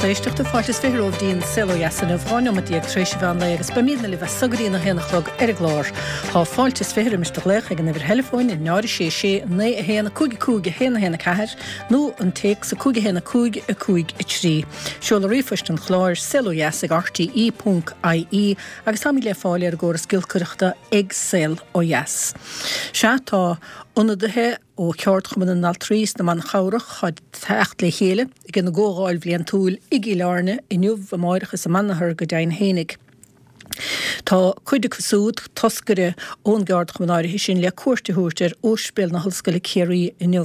lucht éisteachta, fáilte is 20 romhaibh dtí'n Saol Ó Dheas inniu, 12 neomat tar éis an mheán lae agus beimídne libh as so go dtí'n 1 a chlog ar an gclár. Tá fáilte is 20 roimis do ghlaoch ag an uimhir theileafóin, 0 6 6 9 1 5 5 1 1 4 nó an téacs 5 1 5 5 3. Seoladh ríomhphoist an chláir, saolodheas ag rte ponc ie agus táimid le fáil ar an gcóras giolcaireachta ag Saol Ó Dheas. Sea, tá ionadaithe ó Cheardchumann na nAltraí is na mBan Chabhrach ag teacht le chéile ag ina gcomhdháil bhliantúil i gCill Airne inniu, amáireach is amanathar go deimhin fhéinig. Tá cuid acu súd, toscaire ón gceardchumann áirithe sin, le cuairt a thabhairt ar Ospidéal na hOllscoile Ciarraí inniu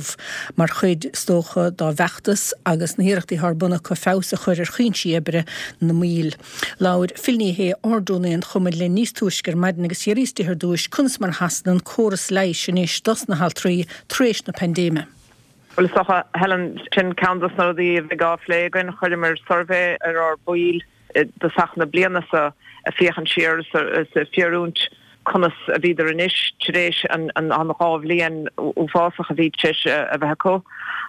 mar chuid, is dócha, dá bhfeachtas agus na hiarrachtaí atá ar bun acu feabhas a chur ar chuinsí oibre na mbaill. Labhair Phil Ní Sheaghdha, Ard-Rúnaí an Chumainn linn níos túisce ar maidin agus d'fhiafraíos di ar dtúis conas mar a sheasann an córas leighis anois dos na haltraí tar éis na paindéime. Bhuel, is dócha, Helen, sin ceann dos na rudaí a bheidh á phlé againn. Chuireamar suirbhé ar ár baill i dtosach na bliana seo ag féachaint siar is ag fiafraí conas a bhíodar anois tar éis an dá bhliain uafásach a bhí tar éis a bheith acu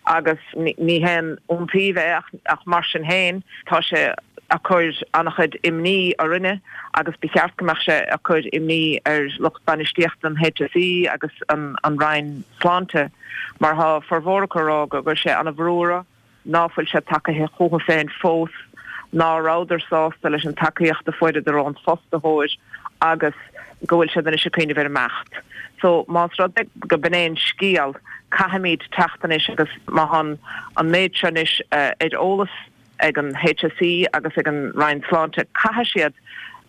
agus ní haon iontaoibh é ach mar sin féin tá sé ag cur an-chuid imní orainne agus ba cheart go mbeadh sé ag cur imní ar lucht bainistíochta an HSE agus an Roinn Sláinte mar tá formhór acu ag rá go gcuir sé an-bhrú orthu. ná fuil siad tagaithe chucu féin fós, ná rabhadar sásta leis an tacaíocht a fuaireadar ón fostaitheoir agus go bhfuil siad anois ag cuimhneamh ar imeacht. So, más rud é go b'in é an scéal, caithfimid teacht anois agus má tá an méid seo anois ar eolas ag an HSE agus ag an Roinn Sláinte, caithfidh siad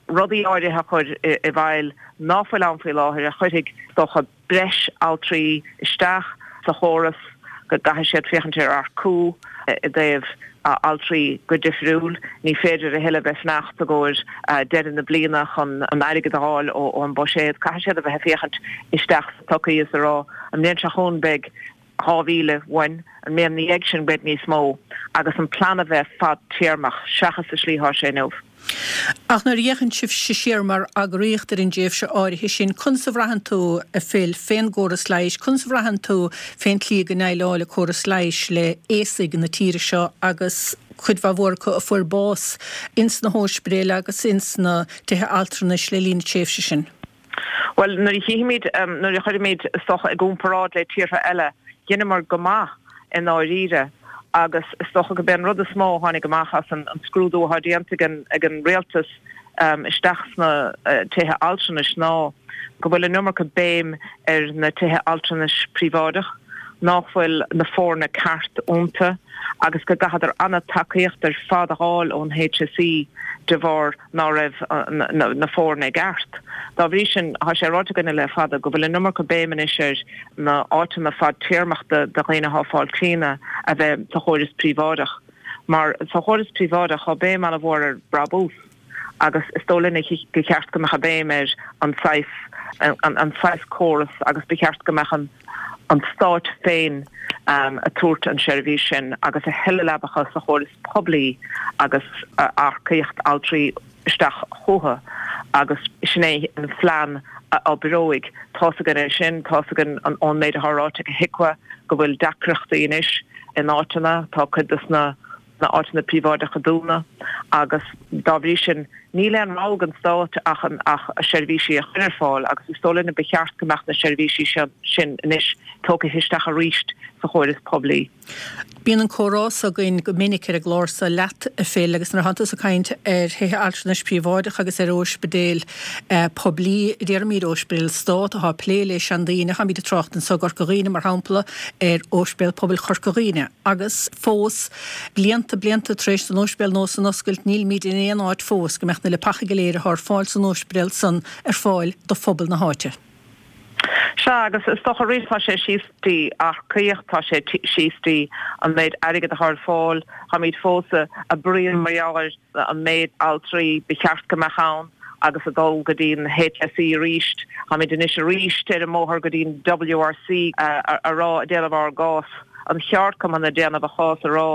rudaí áirithe a chur i bhfeighil ná fuil ann faoi láthair a chuirfidh, is dócha, breis altraí isteach sa chóras, go gcaithfidh siad féachaint ar earcú i dtaobh altraí go difriúil. Ní féidir a thuilleadh bheith fanacht i gcomhair deireadh na bliana chun an airgead a fháil ón buiséad. Caithfidh siad a bheith ag féachaint isteach sa tsochaí is a rá, an mbliain seo chugainn beidh 2,000 uainn, an mbliain ina dhiaidh sin beidh níos mó, agus an plean a bheith fadtéarmach seachas sa slí atá sé inniu. Ach nuair a fhéachann sibhse siar mar eagraíocht ar an dtréimhse áirithe sin, conas a bhraitheann tú, a Phil, fén gcóras leighis, conas a bhraitheann tú fén tslí go ndéileáil an córas leighis le haosaigh na tíre seo agus cuid mhaith mhór acu a fuair bás ins na hóispidéil agus ins na tithe altranais le linn na tréimhse sin? Bhuel, nuair a chífimid, nuair a chuirimid, is dócha, i gcomparáid le tíortha eile, dheineamar go maith i ndáiríre agus is dócha go b'é an rud is mó a tháinig amach as an scrúdú atá déanta ag an rialtas isteach sna tithe altranais ná go bhfuil an iomarca béim ar na tithe altranais príobháideach, nach bhfuil na foirne ceart iontu agus go gcaitheadar an-tacaíocht ar fad a fháil ón HSE de bharr ná raibh na foirne i gceart. Dá bhrí sin, tá sé ráite againne le fada go bhfuil an iomarca béim anois ar na áiteanna fadtéarmach do dhaoine atá ag fáil cliona a bheith sa chóras príobháideach. Mar sa chóras príobháideach tá béim an-mhór ar brabús agus is dóigh linne gur cheart go mbeadh an béim ar an saghas an saghas córas agus ba cheart go mbeadh an an stáit féin ag tabhairt an seirbhís sin agus a thuilleadh leabacha sa chóras poiblí agus earcaíocht altraí isteach chucu agus sin é an phlean a oibreoidh. Tá's againn é sin, tá's againn ón méid atá ráite ag HIQA go bhfuil deacrachtaí anois in áiteanna, tá cuid de na áiteanna príobháideacha dúnadh agus dá bhrí sin níl aon rogha ag an stát ach ach seirbhísí a chur ar fáil agus is dóigh linne ba cheart go mbeadh na seirbhísí sin anois tógtha isteach arís sa chóras poiblí. Bíonn an comhrá so againn go minic ar an gclár so leat, a Phil, agus nuair atánn tusa ag caint ar thithe altranais príobháideacha agus ar óispidéil poiblí, déarfaimid óispidéil stát atá ag plé le seandaoine, táimid ag trácht anso i gCorca Dhuibhne, mar shampla, ar Óispidéal Pobail Chorca Dhuibhne, agus fós, blianta, blianta tar éis don óispidéal nua san oscailt, nílimid in aon áit fós go mbeadh na leapacha go léir atá ar fáil san óispidéal san ar fáil do phobal na háite. Sea, agus is dócha arís tá sé síos dtí earcaíocht, tá sé síos dtí an méid airgid atá ar fáil, táimid fós ag bruíon mar gheall ar an méid altraí ba cheart go mbeadh ann agus ag dul go dtí an HSE arís. Táimid anois arís ar an mbóthar go dtí an WRC a rá, ag déanamh ár gcás, an cheardchumann ag déanamh a chás a rá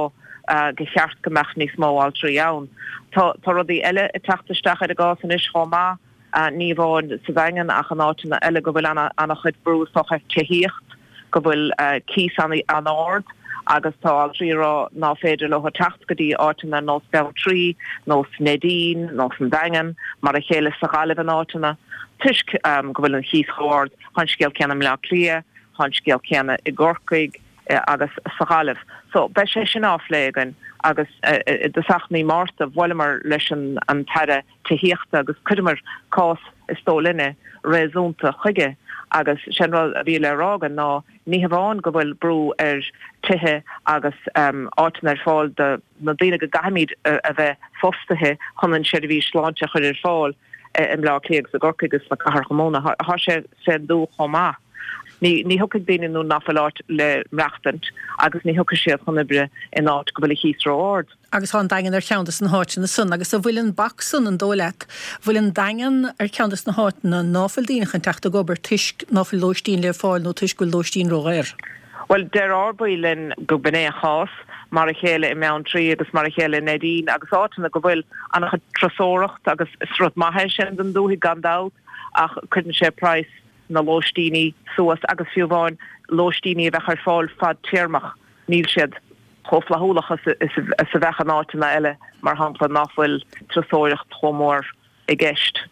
go cheart go mbeadh níos mó altraí ann. Tá rudaí eile ag teacht isteach ar an gcás anois chomh maith. ní amháin sa Daingean ach in áiteanna eile go bhfuil an-chuid brú is dócha ar tithíocht, go bhfuil cíos an-ard. Agus tá altraí ag rá ná féidir leo teacht go dtí áiteanna ar nós Beanntraí, nós Neidín, nós an Daingean, mar a chéile sa Ghaillimh in áiteanna, toisc go bhfuil an chíos chomh ard. Tá an scéal céanna i mBleá Cliath, tá an scéal céanna i gCorcaigh agus sa Ghaillimh. So beidh sé sin á phlé againn agus i dtosach mí Márta bhuaileamar leis an tAire Tithíochta agus chuireamar cás, is dóigh linne, réasúnta chuige agus sé an rud a bhí le rá againn ná ní hamháin go bhfuil brú ar tithe agus áiteanna ar fáil do na daoine go gcaithfimid a bheith fostaithe chun an seirbhís sláinte a chur ar fáil i mBleá Cliath agus i gCorcaigh agus sna cathracha móna, tá sé sa dúiche chomh maith. Ní ní thiocfaidh daoine nuair nach bhfuil áit le maireachtaint agus ní thiocfaidh siad chun oibre in áit go bhfuil an chíos ró-ard. Agus tá an Daingean ar cheann de na háiteanna san. Agus an bhfuil an bac san, an dóigh leat, bhfuil an Daingean ar cheann de na háiteanna ná fuil daoine chun teacht ag obair toisc ná fuil lóistín le fáil nó toisc go bhfuil lóistín ródhaor? Bhuel, deir ár baill linn go b'in é an chás, mar a chéile i mBeanntraí agus mar a chéile i Neidín agus áiteanna go bhfuil an-chuid turasóireacht agus is rud maith é sin don dúthaigh gan dabht ach cuireann sé praghas na lóistíní suas agus fiú amháin lóistíní a bheadh ar fáil fadtéarmach níl siad chomh flaithiúlach is a bheadh in áiteanna eile, mar shampla, nach bhfuil turasóireacht chomh mór i gceist.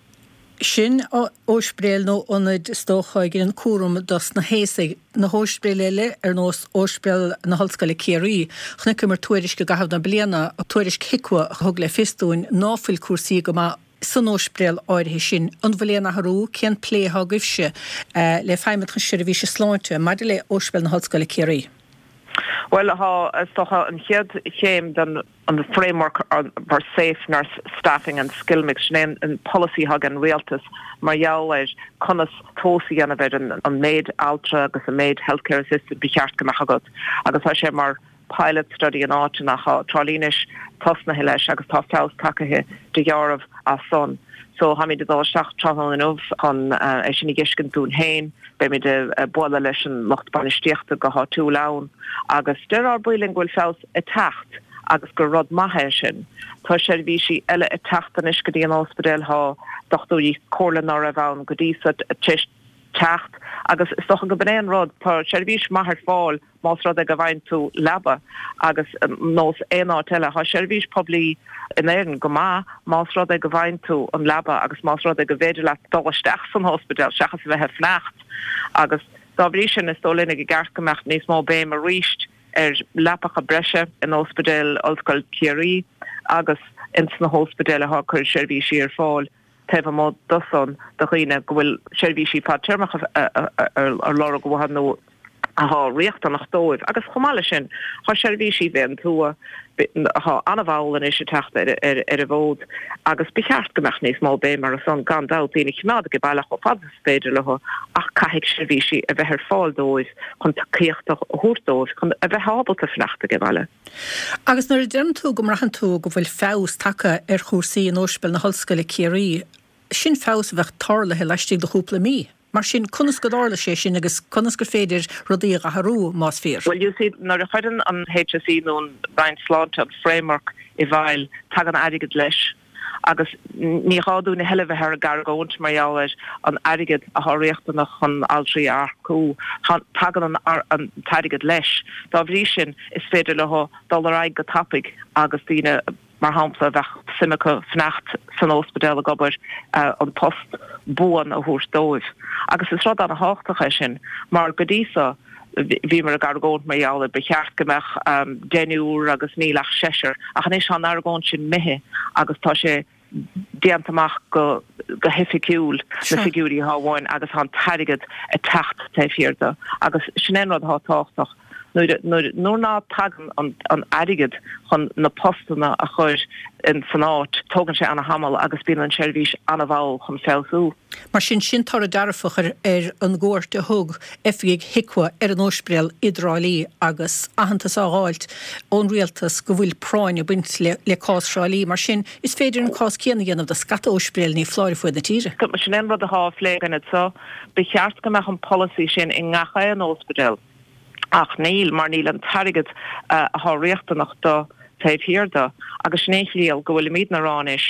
Sin óispidéil nó ionaid is dócha a dheineann cúram dos na haosaigh. Na hóispidéil eile, ar nós Óispidéal na hOllscoile Ciarraí, chonaiceamar tuairisc i gcaitheamh na bliana, tuairisc HIQA a thug le fios dúinn ná fuil cúrsaí go maith san óispidéal áirithe sin. An bhfuil aon athrú? Cén plé atá agaibhse le Feidhmeannacht na Seirbhíse Sláinte maidir le Óispidéal na hOllscoile Ciarraí? Bhuel, tá, is dócha, an chéad chéim den an Framework for Safe Nurse Staffing and Skill Mix, sin é an polasaí atá ag an rialtas mar gheall ar conas tomhas a dhéanamh ar an méid altra agus an méid healthcare assistant ba cheart go mbeadh agat agus tá sé mar pilot study in áiteanna. Tá Trá Lí anois tosnaithe leis agus tá feabhas tagtha de dheáramh as san. So táimid ag dul isteach tráthnóna inniu chun é sin a dh'fheiscint dúinn féin. Beimid ag bualadh leis an lucht bainistíochta go háitiúil ann agus deir ár baill linn go bhfuil feabhas ag teacht agus gur rud maith é sin. Tá seirbhísí eile ag teacht anois go dtí an ospidéal, tá dochtúirí comhairle ná raibh ann go dtí so tar éis teacht agus is dócha go b'in é an rud, tá seirbhís maith ar fáil más rud é go bhfaigheann tú leaba agus nós aon áit eile, tá seirbhís poiblí in Éirinn go maith más rud é go bhfaigheann tú an leaba agus más rud é go bhféidir leat dul isteach san ospidéal seachas a bheith ag fanacht agus dá bhrí sin is dóigh linn i gceart go mbeadh níos mó béim arís ar leapacha breise in Ospidéal Ollscoil Chiarraí agus ins na hóspidéil atá ag cur seirbhísí ar fáil. taobh amuigh de san do dhaoine go bhfuil seirbhísí fadtéarmacha ar lorg uathu nó atá riachtanach dóibh. Agus chomh maith leis sin, tá seirbhísí fén tuath atá an-mhall anois ag teacht ar an bhfód agus ba cheart go mbeadh níos mó béim orthu san, gan dabht, daoine a choimeád age baile chomh fada is féidir leo ach caithfidh seirbhísí a bheith ar fáil dóibh chun tacaíocht a thabhairt dóibh chun a bheith ábalta fanacht age baile. Agus nuair a deireann tú go mbraitheann tú go bhfuil feabhas tagtha ar chúrsaí in Óispidéal na hOllscoile Ciarraí, sin feabhas a bheadh tarlaithe laistigh de chúpla mí. Mar sin, conas go dtarla sé sin agus conas gur féidir rudaí a dh'athrú, más fíor? Bhuel, you see, nuair a chuireann an HSE nó an Roinn Sláinte an framework i bhfeighil, tagann airgead leis. Agus ní gá dúinn a thuilleadh bheith ag argóint mar gheall ar an airgead atá riachtanach chun altraí a earcú. Tagann an t-airgead leis. Dá bhrí sin, is féidir leo dul ar aghaidh go tapaidh agus daoine, mar shampla, a bheadh suim acu fanacht san óspidéal ag obair, an post buan a thabhairt dóibh. Agus is rud an-thábhachtach é sin, mar go dtí so, bhíomar ag argóint mar gheall ar ba cheart go mbeadh deichniúr agus níl ach seisear, ach anois tá an argóint sin imithe agus tá sé déanta amach go go hoifigiúil na figiúirí atá uainn agus tá an t-airgead ag teacht taobh thiar de agus sin é an rud atá tábhachtach nuair nuair nuair ná tagann an an airgead chun na postanna a chur in san áit tógann sé ana-thamall agus bíonn an seirbhís ana-mhall chun feabhsú. Mar sin, sin toradh dearfach ar ar an gcuairt a thug oifigigh HIQA ar an óispidéal i dTrá Lí agus aitheantas á dh'fháilt ón rialtas go bhfuil práinn ag baint le le cás Thrá Lí. Mar sin, is féidir an cás céanna a dhéanamh do scata óispidéil ní foláir ar fuaid na tíre. Sin é an rud atá á phlé againn anseo. Ba cheart go mbeadh an polasaí sin i ngach aon óspidéal. Ach níl, mar níl an t-airgead atá riachtanach do. taobh thiar de agus sin é an chiall go bhfuilimidne a rá anois,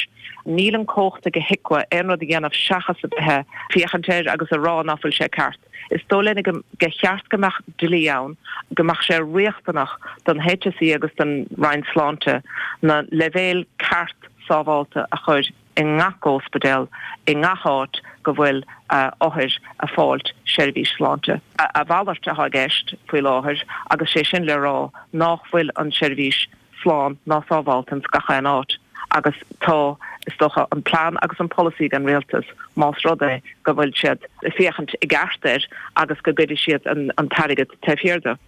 níl an cumhacht ag HIQA aon rud a dhéanamh seachas a bheith ag féachaint air agus a rá ná fuil sé ceart. Is dóigh linn go cheart go mbeadh dlí ann, go mbeadh sé riachtanach don HSE agus don Roinn Sláinte na leibhéil ceart sábhálta a chur i ngach óspidéal, i ngach áit go bhfuil othair a' fáilt seirbhís sláinte. A mhalairt atá i gceist faoi láthair agus sé sin le rá nách bhfuil an seirbhís slán ná sábhálta ins gach aon áit agus tá, is dócha, an plean agus an polasaí ag an Rialtas más rud é go bhfuil siad ag féachaint i gceart air agus go gcuirfidh siad an t-airgead taobh thiar de.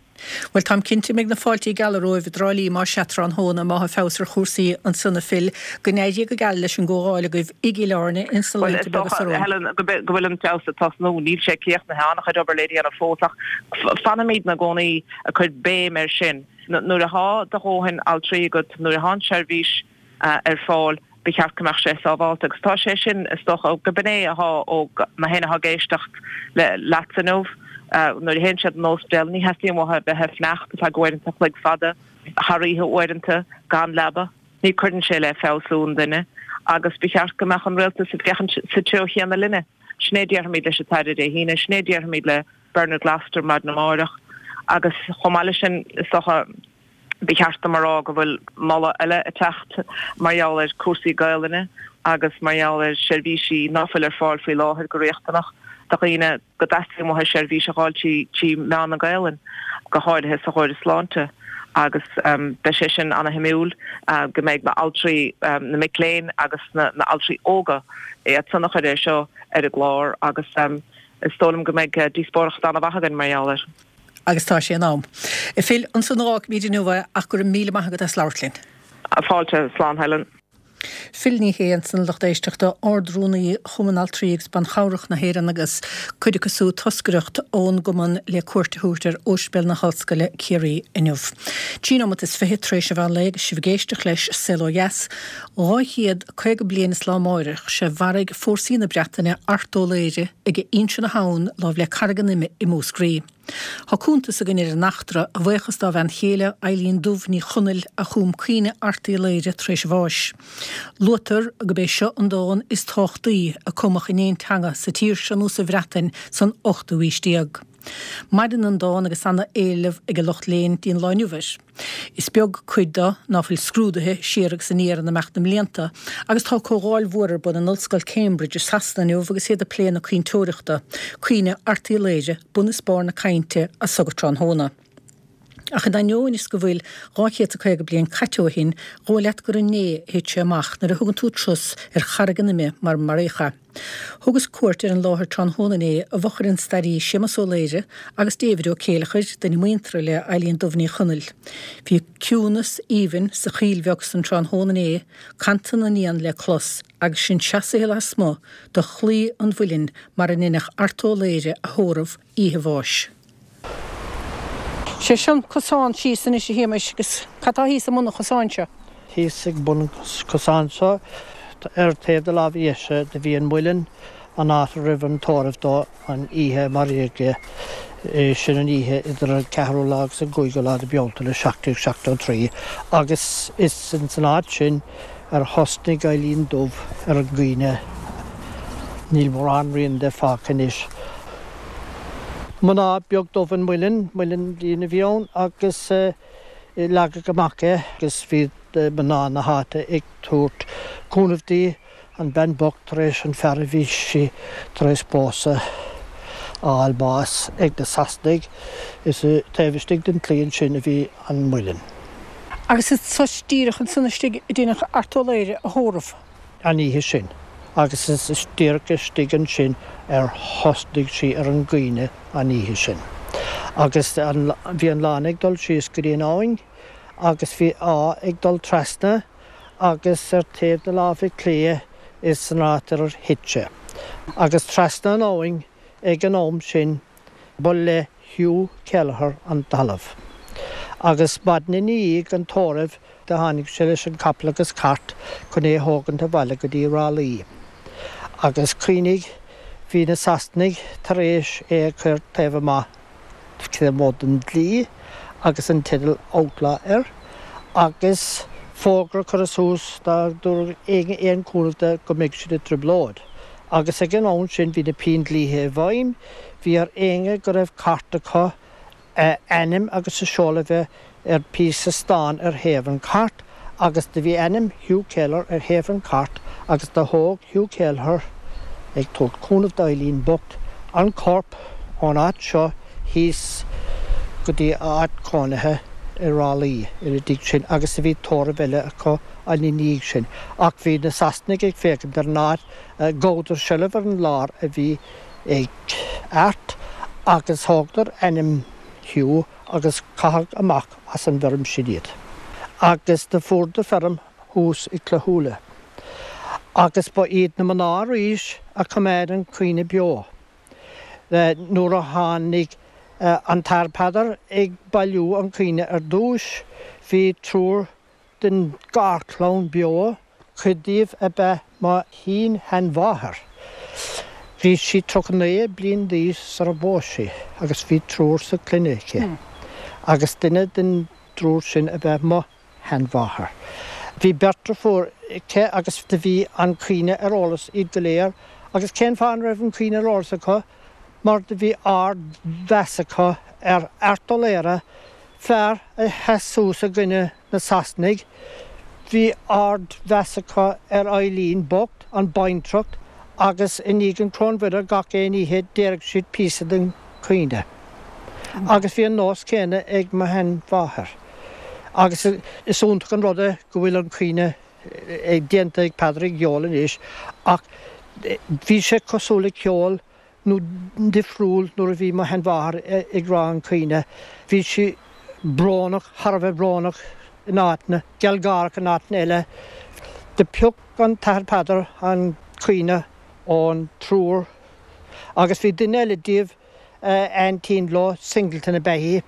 Bhuel, táim cinnte go mbeidh na fáiltí geala romhaibh i dTrá Lí más sea tráthnóna, má tá feabhas ar chúrsaí ansan a Phil. Go n-éirí go geal leis an gcomhdháil agaibh i gCill Airne ins na Bhuel, is laethanta beaga dócha, seo romhainn. Helen, go bhfuil an feabhas ag tosnú. Níl sé críochnaithe, an-chuid obair le déanamh fós ach fanfaimidne i gcónaí ag cur béim air sin. Nuair athá do dhóthain altraí agat, nuair athá an tseirbhís ar fáil, ba cheart go mbeadh sé sábhálta. Agus tá sé sin, is dócha, go b'in é athá ó na héinne athá ag éisteacht leatsa inniu. Nuair a théann siad an óspidéal, ní theastaíonn uathu a bheith ag fanacht ar feadh uaireanta a chloig fada, thar oíche uaireanta, gan leaba. Ní cuireann sé le feabhsú an duine agus ba cheart go mbeadh an rialtas ag féachaint sa treo chéanna linne. Sin é a déarfaimid leis an tAire Dé hAoine, sin é a déarfaimid le Bernard Gloster maidin amáireach agus chomh maith leis sin is dócha ba cheart dom a rá go bhfuil moladh eile ag teacht mar gheall ar cúrsaí Gaelainne agus mar gheall ar seirbhísí ná fuil ar fáil faoi láthair go riachtanach do dhaoine go dteastaíonn uathu seirbhís a dh'fháil trí mheán na Gaelainne, go háirithe sa chóras sláinte agus beidh sé sin ana-shuimiúil go mbeidh na altraí, na mic léinn agus na altraí óga iad san a chuir é seo ar an gclár agus Is dóigh liom go mbeidh díospóireacht an-mhaith againn mar gheall air. Agus tá sé in am. A Phil, ansan a dh'fhágfaimid inniu é ach go raibh míle maith agat as labhairt linn. Fáilte, slán Helen. Phil Ní Sheaghdha ansan, a lucht éisteachta, Ard-Rúnaí Chumann Altraí agus Ban Chabhrach na hÉireann agus cuid acu sa toscaireacht ón gcumann le cuairt a thabhairt ar Ospidéal na hOllscoile Ciarraí inniu. 23 nóimeat tar éis an mheán lae agus sibh ag éisteacht leis Saol Ó Dheas. 250 bliain is lá amáireach sé mharaigh fórsaí na Breataine Art Ó Laoghaire ag Inse na hAbhann láimh le Carraig an Ime i Múscraí. Tá cuntas againn ar an eachtra, a bhuíochas dá bhean chéile, Eileen Dubh Ní Chonaill, a chum Caoineadh Airt Uí Laoghaire tar éis a bháis. Luaitear gurb é seo an dán is tábhachtaí a cumadh in aon teanga sa tír seo nó sa Bhreatain san ochtú aois déag. Maireann an dán agus ana-éileamh ag an lucht léinn dtí'n lá inniu air. Is beag cuid de ná fuil scrúdaithe siar agus aniar in imeacht na mblianta, agus tá comhdháil mhór ar bun in Ollscoil Cambridge i Sasana inniu agus iad ag plé na caointeoireachta, Caoineadh Airt Uí Laoghaire, bun is barr na cainte as so go tráthnóna. Ach in ainneoin is go bhfuil 250 bliain caite ó shin, dhóigh leat gur inné a thit sé amach nuair a thugann tú turas ar Charraig an Ime mar maraíodh é. Thugas cuairt ar an láthair tráthnóna inné i bhfochair an staraí Séamus Ó Laoire agus David Ó Céileachair, duine muinteartha le Eileen Dubh Ní Chonaill. Bhí ciúnas aoibhinn sa choill bheag san tráthnóna inné, cantain na n-éan le clos agus sinn seasaithe lasmuigh de chlaí an mhuilinn mar a ndeineadh Art Ó Laoire a thórramh oíche a bháis. Sé seo an cosán síos anois a Shéamais agus cad tá thíos i mbun an chosáin seo? Thíos ag bun an chosáin seo ar taobh na láimhe dheise do bhí an muileann, an áit a raibh an tórramh dó an oíche a maraíodh é, sin an oíche idir an ceathrú lá agus an cúigiú lá de Bealtaine 1773 agus is ins an áit sin ar thosnaigh Eilín Dubh ar an gcaoineadh. Níl mórán rian de fágtha anois. Mná beag dubh an muileann, muileann lín a bhí ann agus leagadh amach é agus bhí mná na háite ag tabhairt cúnamh di, an bean bocht tar éis an fear a bhí sí tar éis pósadh a fháil bás ag na Sasanaigh. Is taobh istigh den claí ansin a bhí an muileann. Agus is díreach ansan istigh a deineadh Art Ó Laoghaire a thórramh. an oíche sin, agus is díreach istigh ansin ar thosnaigh sí ar an gcaoineadh an oíche sin. Agus bhí an lána ag dul síos go dtí an abhainn, agus bhí áth ag dul trasna, agus ar taobh na láimhe clé is san áit ar thit sé. Agus trasna an abhainn ag an am sin ba le Hugh Kelleher an talamh. Agus maidin i ndiaidh an tórraimh do tháinig sé leis an capall agus cairt chun é a thógaint abhaile go dtí Ráth Luí. Agus cuimhnigh, bhí na Sasanaigh tar éis é a chur taobh amuigh taobh amuigh den dlí agus an teideal outlaw air agus. Fógra curtha suas dá dtabharfadh éinne aon chúnamh do go mbeadh siad i dtrioblóid. Agus ag an am sin bhí na Péindlíthe i bhfeidhm, bhí ar éinne go raibh cairt acu a ainm agus a seoladh a bheith ar phíosa stáin ar thaobh an chairt agus do bhí ainm Hugh Kelleher ar thaobh an chairt agus do thóg Hugh Kelleher, ag tabhairt cúnamh d'Eileen bocht, an corp ón áit seo thíos go dtí a áit chónaithe i Ráth Luí ina dhiaidh sin agus do bhí tórramh eile acu ina dhiaidh sin ach bhí na Sasanaigh ag féachaint ar an áit, ghabhadar seilbh ar an lár a bhí ag Art agus thógadar ainm Hugh agus caitheadh amach as an bhfeirm sin iad. Agus do fuaireadar feirm thuas i Clochúile. Agus ba iad na mná arís a choimeád an caoineadh beo. Nuair a tháinig an tAthair Peadar ag bailiú an caoineadh ar dtúis, bhí triúr den gharchlann beo, cuid díobh ab ea mo shin-sheanmháthair. Bhí sí 39 bliain d'aois sar a phós sí agus bhí triúr sa chloinne aici agus duine den dtriúr sin ab ea mo sheanmháthair. Bhí beirt deirfiúr aici agus do bhí an caoineadh ar eolas iad go léir agus cén fáth an raibh an caoineadh ar eolas acu? Mar do bhí ard-mheas acu ar Art Ó Laoire, fear a sheas suas i gcoinne na Sasanaigh. Bhí ard-mheas acu ar Eileen bocht, an baintreach, agus i ndiaidh an Choróin Mhuire gach aon oíche déarfadh siad píosa den chaoineadh. Agus bhí an nós céanna ag mo sheanmháthair. Agus is iontach an rud é go bhfuil an caoineadh déanta ag Peadar i gceol anois ach bhí sé cosúil le ceol nó difriúil nuair a bhí mo sheanmháthair ag rá an caoineadh. Bhí sí brónach, thar a bheith brónach in áiteanna, gealgháireach in áiteanna eile. Do phioc an tAthair Peadar an caoineadh ón triúr agus bhí duine eile díobh, aintín leo, Singleton ab ea í,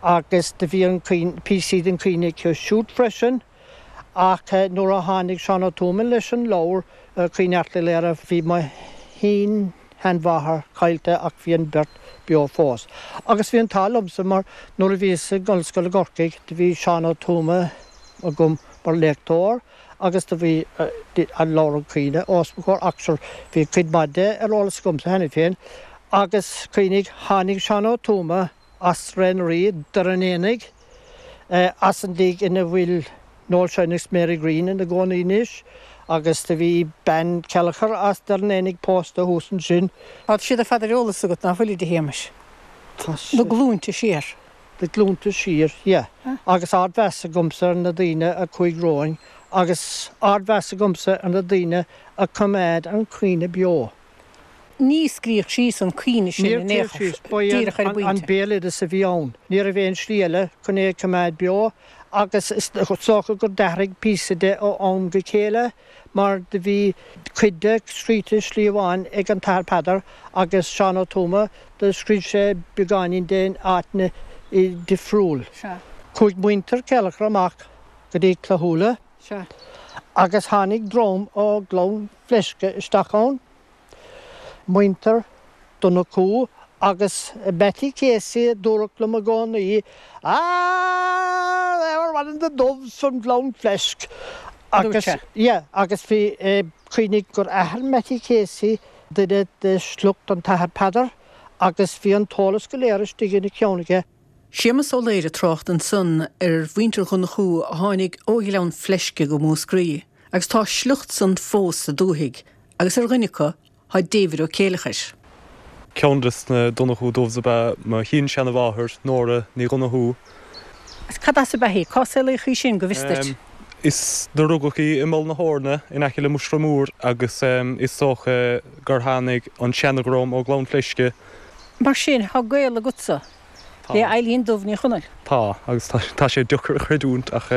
agus do bhí an caoineadh, píosaí den chaoineadh aici siúd freisin. Ach nuair a tháinig Seán Ó Tuama leis an leabhar Caoineadh Airt Uí Laoire bhí mo shin-sheanmháthair caillte ach bhí an bheirt beo fós. Agus bhí an t-ádh liomsa mar nuair a bhíos i ollscoil i gCorcaigh do bhí Seán Ó Tuama agam mar léachtóir agus do bhí an leabhar An Caoineadh os mo chomhair ach sure bhí cuid maith de ar eolas agamsa cheana féin. Agus cuimhnigh, tháinig Seán Ó Tuama as Sraith na Rí, Doire an Éanaigh, as an dtigh ina bhfuil Noel Shine agus Mary Greene ina gcónaí anois, agus do bhí bean Kelleher as Doire an Éanaigh pósta thuas ansin. Tá siad ar fad ar eolas agat, ná fuilid, a Shéamais? Tá Na glúinte siar. Na glúnta siar, yeah. Agus ardmheas agamsa ar na daoine a chuaigh romhainn, agus ardmheas agamsa ar na daoine a choimeád an caoineadh beo. Ní scríodh síos an caoineadh sin in aon chor, díreach ar an bpointe. An béaloideas a bhí ann. Ní raibh aon slí eile chun é a choimeád beo agus is dócha gur d'athraigh píosa de ó am go chéile mar do bhí cuid de scríte i slí amháin ag an tAthair Peadar agus Seán Ó Tuama, do scríobh sé beagáinín de in áiteanna difriúil. Chuaigh muintir Kelleher amach go dtí Clochúile agus tháinig dream ó Ghleann Fleisce isteach ann, muintir Donnchú agus Mattie Casey a dúradh liom i gcónaí, Ah, they were one of the Dubhs from Gleann Fleisc. Agus, yeah, agus bhí, cuimhnigh gur athair Mattie Casey duine de shliocht an tAthair Peadar agus bhí an t-eolas go léir istigh ina cheann aige. Séamus Ó Laoire ag trácht ansan ar mhuintir Dhonnchú a tháinig ó Ghleann Fleisce go Múscraí agus tá a sliocht san fós sa dúthaigh agus ar dhuine acu thá David Ó Céileachair. Ceann des na Donnchú Dubhs ab ea mo shin-seanamháthair, Nóra Ní Dhonnchú. Agus cad as ab ea í? Cá saolaíodh í sin, go bhfios duit? Is do rugadh í i Mullach na hEorna in aice le Muinseo Mór agus is dócha gur tháinig an seanadhream ó Ghleann Fleisce. Mar sin, thá gaol agatsa Tá. le Eileen Dubh Ní Chonaill. Tá, agus tá sé deacair a chreidiúint ach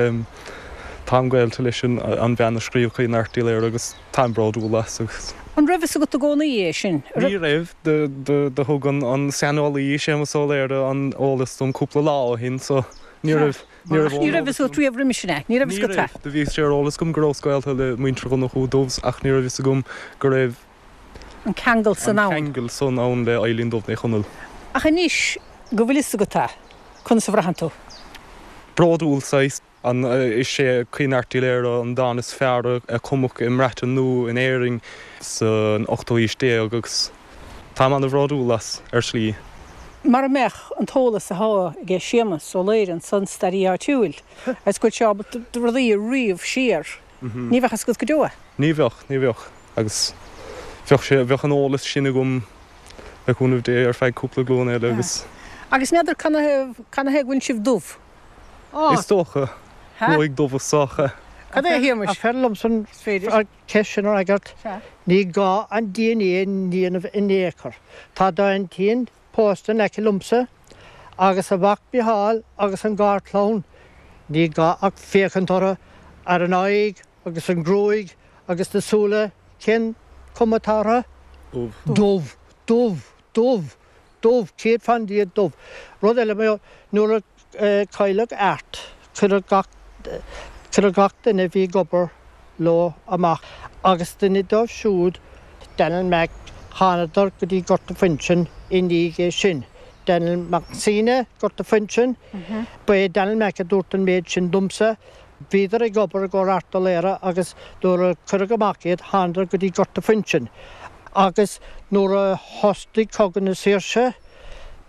táim gaolta leis an bhean a scríobh Caoineadh Airt Uí Laoire agus táim bródúil as agus. An raibh fhios agat i gcónaí é sin? Ní raibh, do thug an saineolaí Séamus Ó Laoire an eolas dom cúpla lá ó shin so ní raibh, ní raibh Ní raibh fhios agat riamh roimis sin é? Ní raibh fhios agat é? Ní raibh, do bhí sé ar eolas agam go rabhas gaolta le muintir Dhonnchú Dubhs ach ní raibh fhios agam go raibh an ceangal san ann. An ceangal san ann le Eileen Dubh Ní Chonaill. Ach anois go bhfuil fhios agat é, conas a bhraitheann tú? Bródúil saghas. An is é Caoineadh Airt Uí Laoghaire an dán is fearr a cumadh i mBreatain nó in Éirinn san ochtú haois déag agus táim ana-bhródúil as, ar shlí. Mara mbeadh an t-eolas athá aige Séamus Ó Laoghaire ansan, staraí áitiúil, agus go bhfuil sé ábalta rudaí a ríomh siar, ní bheadh fhios agat go deo é. Ní bheadh, ní bheadh. Agus bheadh sé, bheadh an eolas sin agam le cúnamh Dé ar feadh cúpla glúin eile agus. Agus n'fheadar canathaobh, canathaobh go bhfuil sibh dubh? Is dócha. Gruaig dubh is dócha. Cad é a Shéamais? Ach b'fhearr liomsa an cheist sin a fhreagairt. Ní gá an DNA a dhéanamh in aon chor. Tá d'aintín pósta in aice liomsa agus a mhac Micheál agus an garchlann. Ní gá ach féachaint orthu, ar an aghaidh agus an ghruaig agus na súile, cén cuma atá orthu? Dubh. Dubh. Dubh. Dubh. Dubh, 100% dubh. Rud eile, nuair a cailleadh Art, cuireadh gach, cuireadh gach duine a bhí ag obair leo amach agus duine dóibh siúd, Daniel Mac, thánadar go dtí Gort a' Phuinseann i ndiaidh é sin. Daniel Mac Suibhne, Gort a' Phuinseann, ba é Daniel Mac a dúirt an méid sin domsa. Bhíodar ag obair i gcomhair Art Ó Laoghaire agus nuair a cuireadh amach iad thánadar go dtí Gort a' Phuinseann agus nuair a thosnaigh Cogadh na Saoirse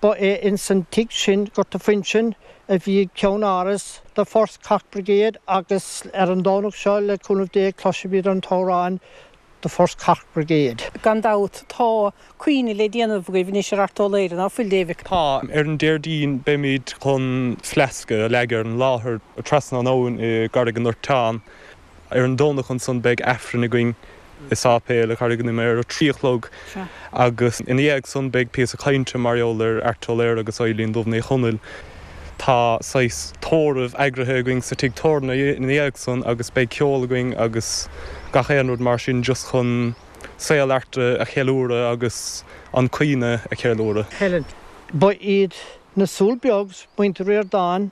ba é ins an tigh sin, Gort a' Phuinseann, a bhí ceann-áras The First Cork Brigade agus ar an Domhnach seo le cúnamh Dé cloisfimid an t-amhrán The First Cork Brigade. Gan dabht tá caoineadh le déanamh agaibh anois ar Art Ó Laoghaire, ná fuil, David? Tá. Ar an Déardaoin beimid chun fleasca a leagadh ar an láthair trasna an abhainn i gCarraig an Ndorteáin. Ar an Domhnach ansan beidh Aifreann againn i sáipéal i gCarraig an Ime ar a 3 a chlog agus ina dhiaidh san beidh píosa cainte mar gheall ar Art Ó Laoghaire agus Eibhlín Dubh Ní Chonaill. Tá saghas tórramh eagraithe againn sa tigh tábhairne ina dhiaidh san agus beidh ceol againn agus gach aon rud mar sin just chun saol Airt a cheiliúradh agus an caoineadh a cheiliúradh. Helen. Ba iad na Súl Beags, muintir Ríordáin,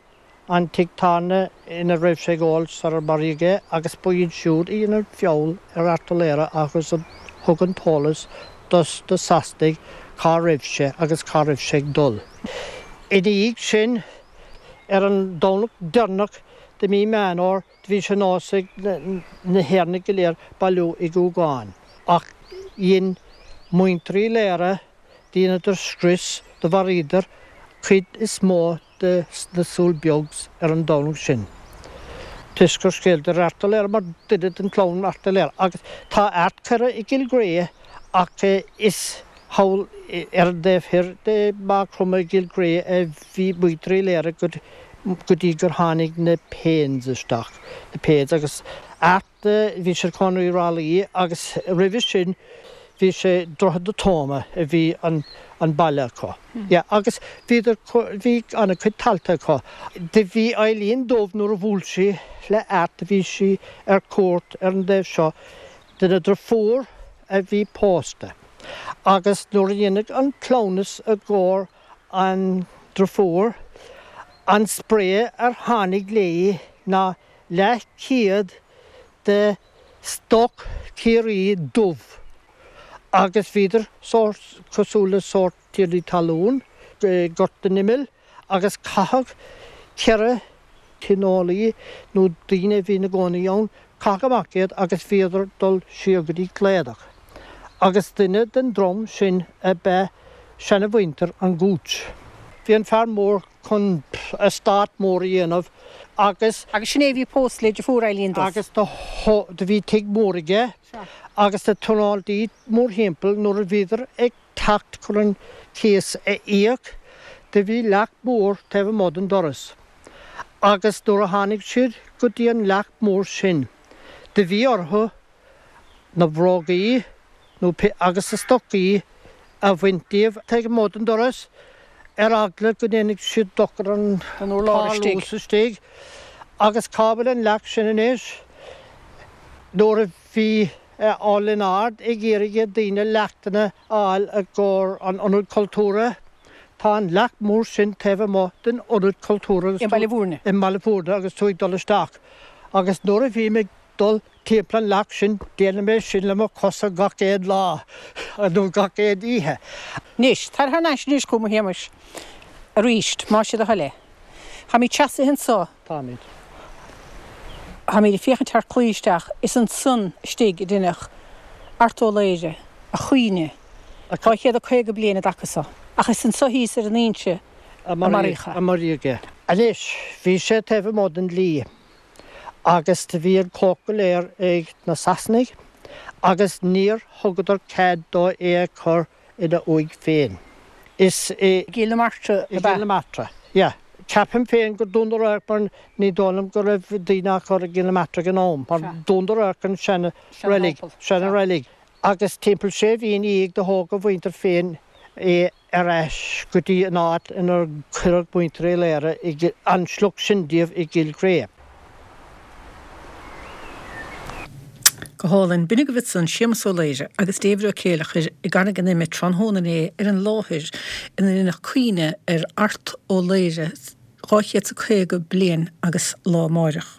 an tigh tábhairne ina raibh sé ag ól sarar maraíodh é agus ba iad siúd a dhein an feall ar Art Ó Laoghaire agus a thug an t-eolas dos na Sasanaigh cá raibh sé agus cá raibh sé ag dul. Ina dhiaidh sin, ar an Domhnach deireanach de mí Meán Fhómhair, do bhí sé nós ag na hÉireannaigh go léir bailiú i gCúgán. Ach dhein muintir Uí Laoghaire, dheineadar scrios, do mharaíodar cuid is mó de na Súil Beags ar an Domhnach sin. Toisc gur scéaladar Art Ó Laoghaire mar duine den chlann Art Ó Laoghaire. Agus tá Art curtha i gCill Ghréidhe ach is thall ar an dtaobh thoir de Mhaigh Chromtha i gCill Ghréidhe a bhí muintir Uí Laoghaire go dtí gur tháinig na Paynes isteach, na Paynes agus Art, bhí sé ina chónaí i Ráth Luí agus roimhe sin bhí sé Droichead na Tóime a bhí an an baile acu. Yeah agus bhíodar, bhí an-chuid talta acu. Do bhí Eileen Dubh nuair a bhuail sí le Art, do bhí sí ar cuairt ar an dtaobh seo dena driofúr a bhí pósta agus nuair a dhéanadh an cleamhnas i gcomhair an driofúr, an spré ar tháinig léi ná leathchéad de stoc Ciarraí dubh agus bhíodar sórt cosúil le sórt tiarnaí talún i nGort an Imill agus caitheadh 4 tionólaí nó daoine a bhí ina gcónaí ann, caitheadh amach iad agus bhíodar dul siar go dtí Cladach. Agus duine den drong sin ab ea seanamhuintir an Gooch. Bhí an fear mór chun eastát mór a dhéanamh agus. Agus sin é a bhí pósta le deirfiúr Eileen Dubh. Agus do bhí tigh mór aige agus na tionóntaí mórthimpeall nuair a bhíodar ag teacht chun an cíos a íoc, do bhí leac mór taobh amuigh den doras. Agus nuair a tháinig siad go dtí an leac mór sin, do bhí orthu na brógaí nó agus na stocaí a bhaint díobh taobh amuigh den doras, ar eagla go ndéanfadh siad dochar don urlár istigh. Agus cá bhfuil an leac sin anois? Nuair a bhí Ó Lionáird ag iarraidh ar daoine leachtanna a fháil i gcomhair an Ionad Cultúrtha. Tá an leacht mór sin taobh amuigh den Ionad Cultúrtha I mBaile Bhúirne. I mBaile Bhúirne agus tú ag dul isteach. Agus nuair a bhím ag dul timpeall an leacht sin, déanaim é sin le mo chosa gach aon lá, nó gach aon oíche. Anois, tar thar n-ais anois chugam a Shéamais, aríst, más é do thoil é. Táimid seasaithe anso. Táimid. Táimid ag féachaint thar claí isteach. Is ansan istigh a deineadh Art Ó Laoghaire a chaoineadh 250 bliain i dtaca so. Ach is anso thíos ar an inse a maraíodh é. A maraíodh é. Anois, bhí sé taobh amuigh den dlí agus do bhí an chumhacht go léir ag na Sasanaigh agus níor thugadar cead dó é a chur ina uaigh féin. Is i. gCill na Martra ab ea? I gCill na Martra, yeah. Ceapaim féin gur Dún Radharc mar ní dóigh liom go raibh daoine á cur i gCill na Martra ag an am, mar Dún Radharc an seana reilig, seana reilig. Agus timpeall sé mhí ina dhiaidh do thóg a mhuintir féin é ar ais go dtí an áit inar cuireadh muintir Uí Laoghaire, an sliocht sin díobh i gCill Chré. Go hálainn. B'in agaibh ansan Séamus Ó Laoire agus David Ó Céileachair i gCarraig an Ime tráthnóna inné ar an láthair ina ndeineadh caoineadh ar Art Ó Laoire 250 bliain agus lá amáireach.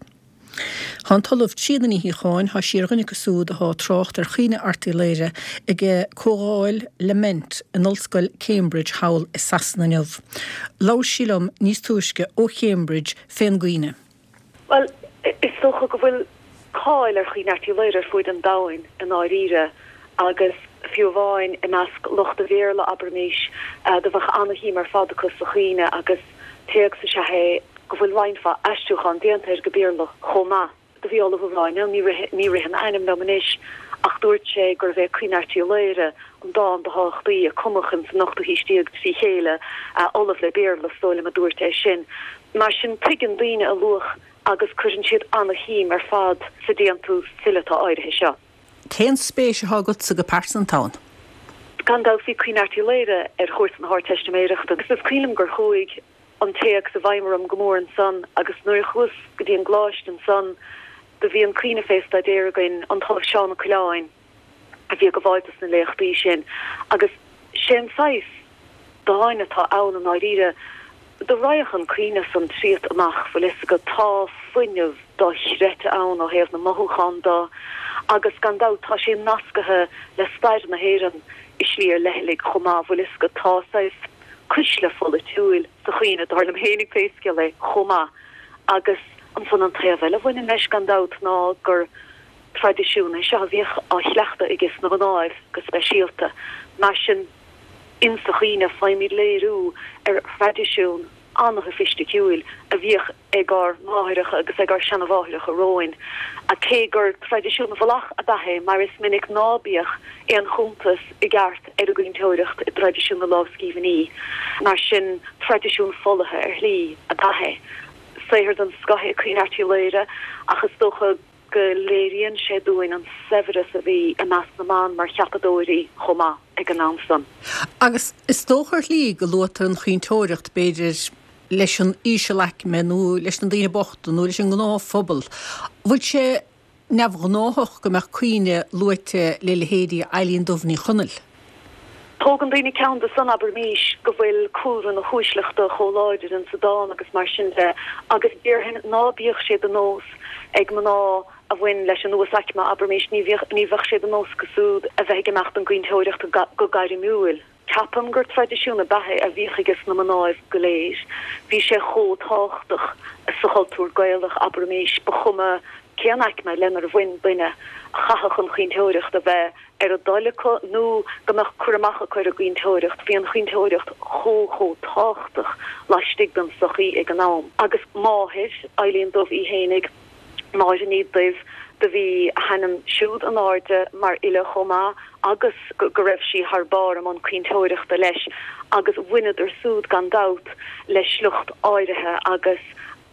Thá an tOllamh Tríona Ní Shíocháin, thá sí ar dhuine acu súd athá ag trácht ar chaoineadh Airt Uí Laoire ag comhdháil Lament in Ollscoil Cambridge thall i Sasana inniu. Labhair sí liom níos túisce ó Chambridge fén gcaoineadh. Bhuel, is dócha go bhfuil cáil ar Chaoineadh Airt Uí Laoghaire ar fuaid an domhain i ndáiríre agus fiú amháin i measc lucht an Bhéarla, abraimís, do bheadh ana-shuim ar fad acu sa chaoineadh agus téacs is ea é go bhfuil roinnt mhaith aistriúchán déanta air go Béarla chomh maith. Do bhí ollamh amháin ann, ní ritheann a ainm liom anois, ach dúirt sé gurbh é Caoineadh Airt Uí Laoghaire an dán ba thábhachtaí a cumadh ins an ochtú haois déag trí chéile, ollamh le Béarla, is dóigh liom, a dúirt é sin. Mar sin, tuigeann daoine a luach agus cuireann siad ana-shuim ar fad sa déantús fileata áirithe seo. Cén spéis atá agatsa go pearsanta ann? Gan dabht, bhí Caoineadh Airt Uí Laoghaire ar chúrsa na hArdteistiméireachta agus is cuimhin liom gur chuaigh an téacs i bhfeidhm orm go mór ansan agus nuair a chuas go dtí an gcoláiste ansan do bhí an caoineadh fé staidéar againn, an tOllamh Seán Ó Coileáin a bhí ag gabháil dos na léachtaí sin agus sé an saghas dáin atá ann i ndáiríre, do raghadh an caoineadh san tríot amach, bhfuil fhios agat, tá fuinneamh dochreidte ann ó thaobh na mothúchán do agus gan dabht tá sé nascaithe le stair na hÉireann i slí ar leithligh chomh maith, bhfuil fhios agat, tá saghas. cuisle pholaitiúil sa chaoineadh, dar liom fhéinig pé scéal é, chomh maith. Agus ansan an taobh eile a bhaineann leis, gan dabht, ná gur traidisiún é seo a bhíodh á chleachtadh ages na mnáibh go speisialta. Mar sin, insa chaoineadh faighimid léiriú ar thraidisiún an-shoifisticiúil a bhíodh ag ár máithreacha agus ag ár seanamháithreacha romhainn, cé gur traidisiún bhfolach ab ea é, mar is minic ná bíodh aon chuntas i gceart ar an gcaointeoireacht i dtraidisiún na lámhscríbhinní. Mar sin, traidisiún folaithe ar shlí ab ea é. Saothar den scoth é Caoineadh Airt Uí Laoghaire, ach is dócha go léiríonn sé dúinn an saibhreas a bhí i measc na mban mar cheapadóirí chomh maith ag an am san. Agus is dócha ar shlí go luaitear an chaointeoireacht, b'fhéidir, leis an ísealaicme nó leis na daoine bochta nó leis an ngnáthphobal. Bhfuil sé neamhghnáthach go mbeadh caoineadh luaite le leithéidí Eilín Dubh Ní Chonaill? Tógann daoine ceann de san, abraimís, go bhfuil cúlra na huaisleachta chomh láidir insa dán agus mar sin de, agus déarfainn ná bíodh sé de nós ag mná a bhain leis an uasaicme, abraimís, ní bhíodh, ní bheadh sé de nós acu siúd a bheith ag imeacht don gcaointeoireacht go gairmiúil. Ceapaim gur traidisiún ab ea é a bhíodh ages na mnáibh go léir. Bhí sé chomh tábhachtach sa chultúr Gaelach, abraimís, ba chuma cén aicme lenar bhain duine, chaithfeadh an chaointeoireacht a bheith ar a dtoil acu nó go mbeadh cur amach acu ar an gcaointeoireacht. Bhí an chaointeoireacht chomh chomh tábhachtach laistigh den tsochaí ag an am. Agus máthair, Eilín Dubh í fhéinig, Máire Ní Duibh, do bhí a hainm siúd in airde mar fhile chomh maith agus go raibh sí thar barr i mbun caointeoireachta leis agus bhaineadar súd gan dabht le sliocht áirithe agus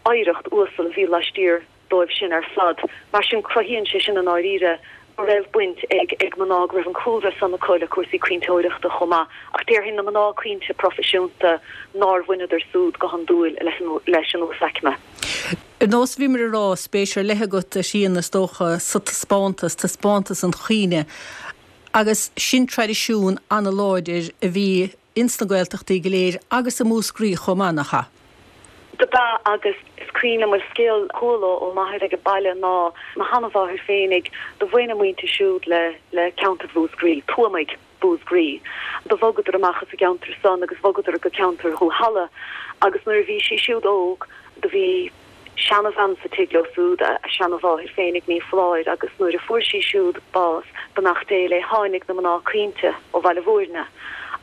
oidhreacht uasal a bhí laistiar dóibh sin ar fad. Mar sin cruthaíonn sé sin i ndáiríre go raibh baint ag ag mná, go raibh an cúlra san acu le cúrsaí caointeoireachta chomh maith. Ach déarfainn na mná caointe proifisiúnta nár bhaineadar súd go hiondúil leis an uasaicme. Ar nós a bhíomar ag rá, spéis ar leith agat, a Thríona, is dócha, sa taispeántas, taispeántas an chaoineadh. Agus sin traidisiún an-láidir a bhí ins na Gaeltachtaí go léir agus i Múscraí chomh maith, nach ea? Do b'ea agus is cuimhin liom, bhuel, scéal a chuala ó m'athair ag an baile ná mo sheanamháthair féinig, do bhain a muintir siúd le le ceantar Mhúscraí, Tuamaigh. Bús Groí. Do bhogadar amach as an gceantar san agus bhogadar go ceantar Dhúshalla agus nuair a bhí sí siúd óg do bhí seanabhean sa tigh leo súd, a seanamháthair féinig, ní foláir, agus nuair a fuair sí siúd bás, beannacht Dé léi, tháinig na mná caointe ó Bhaile Bhúirne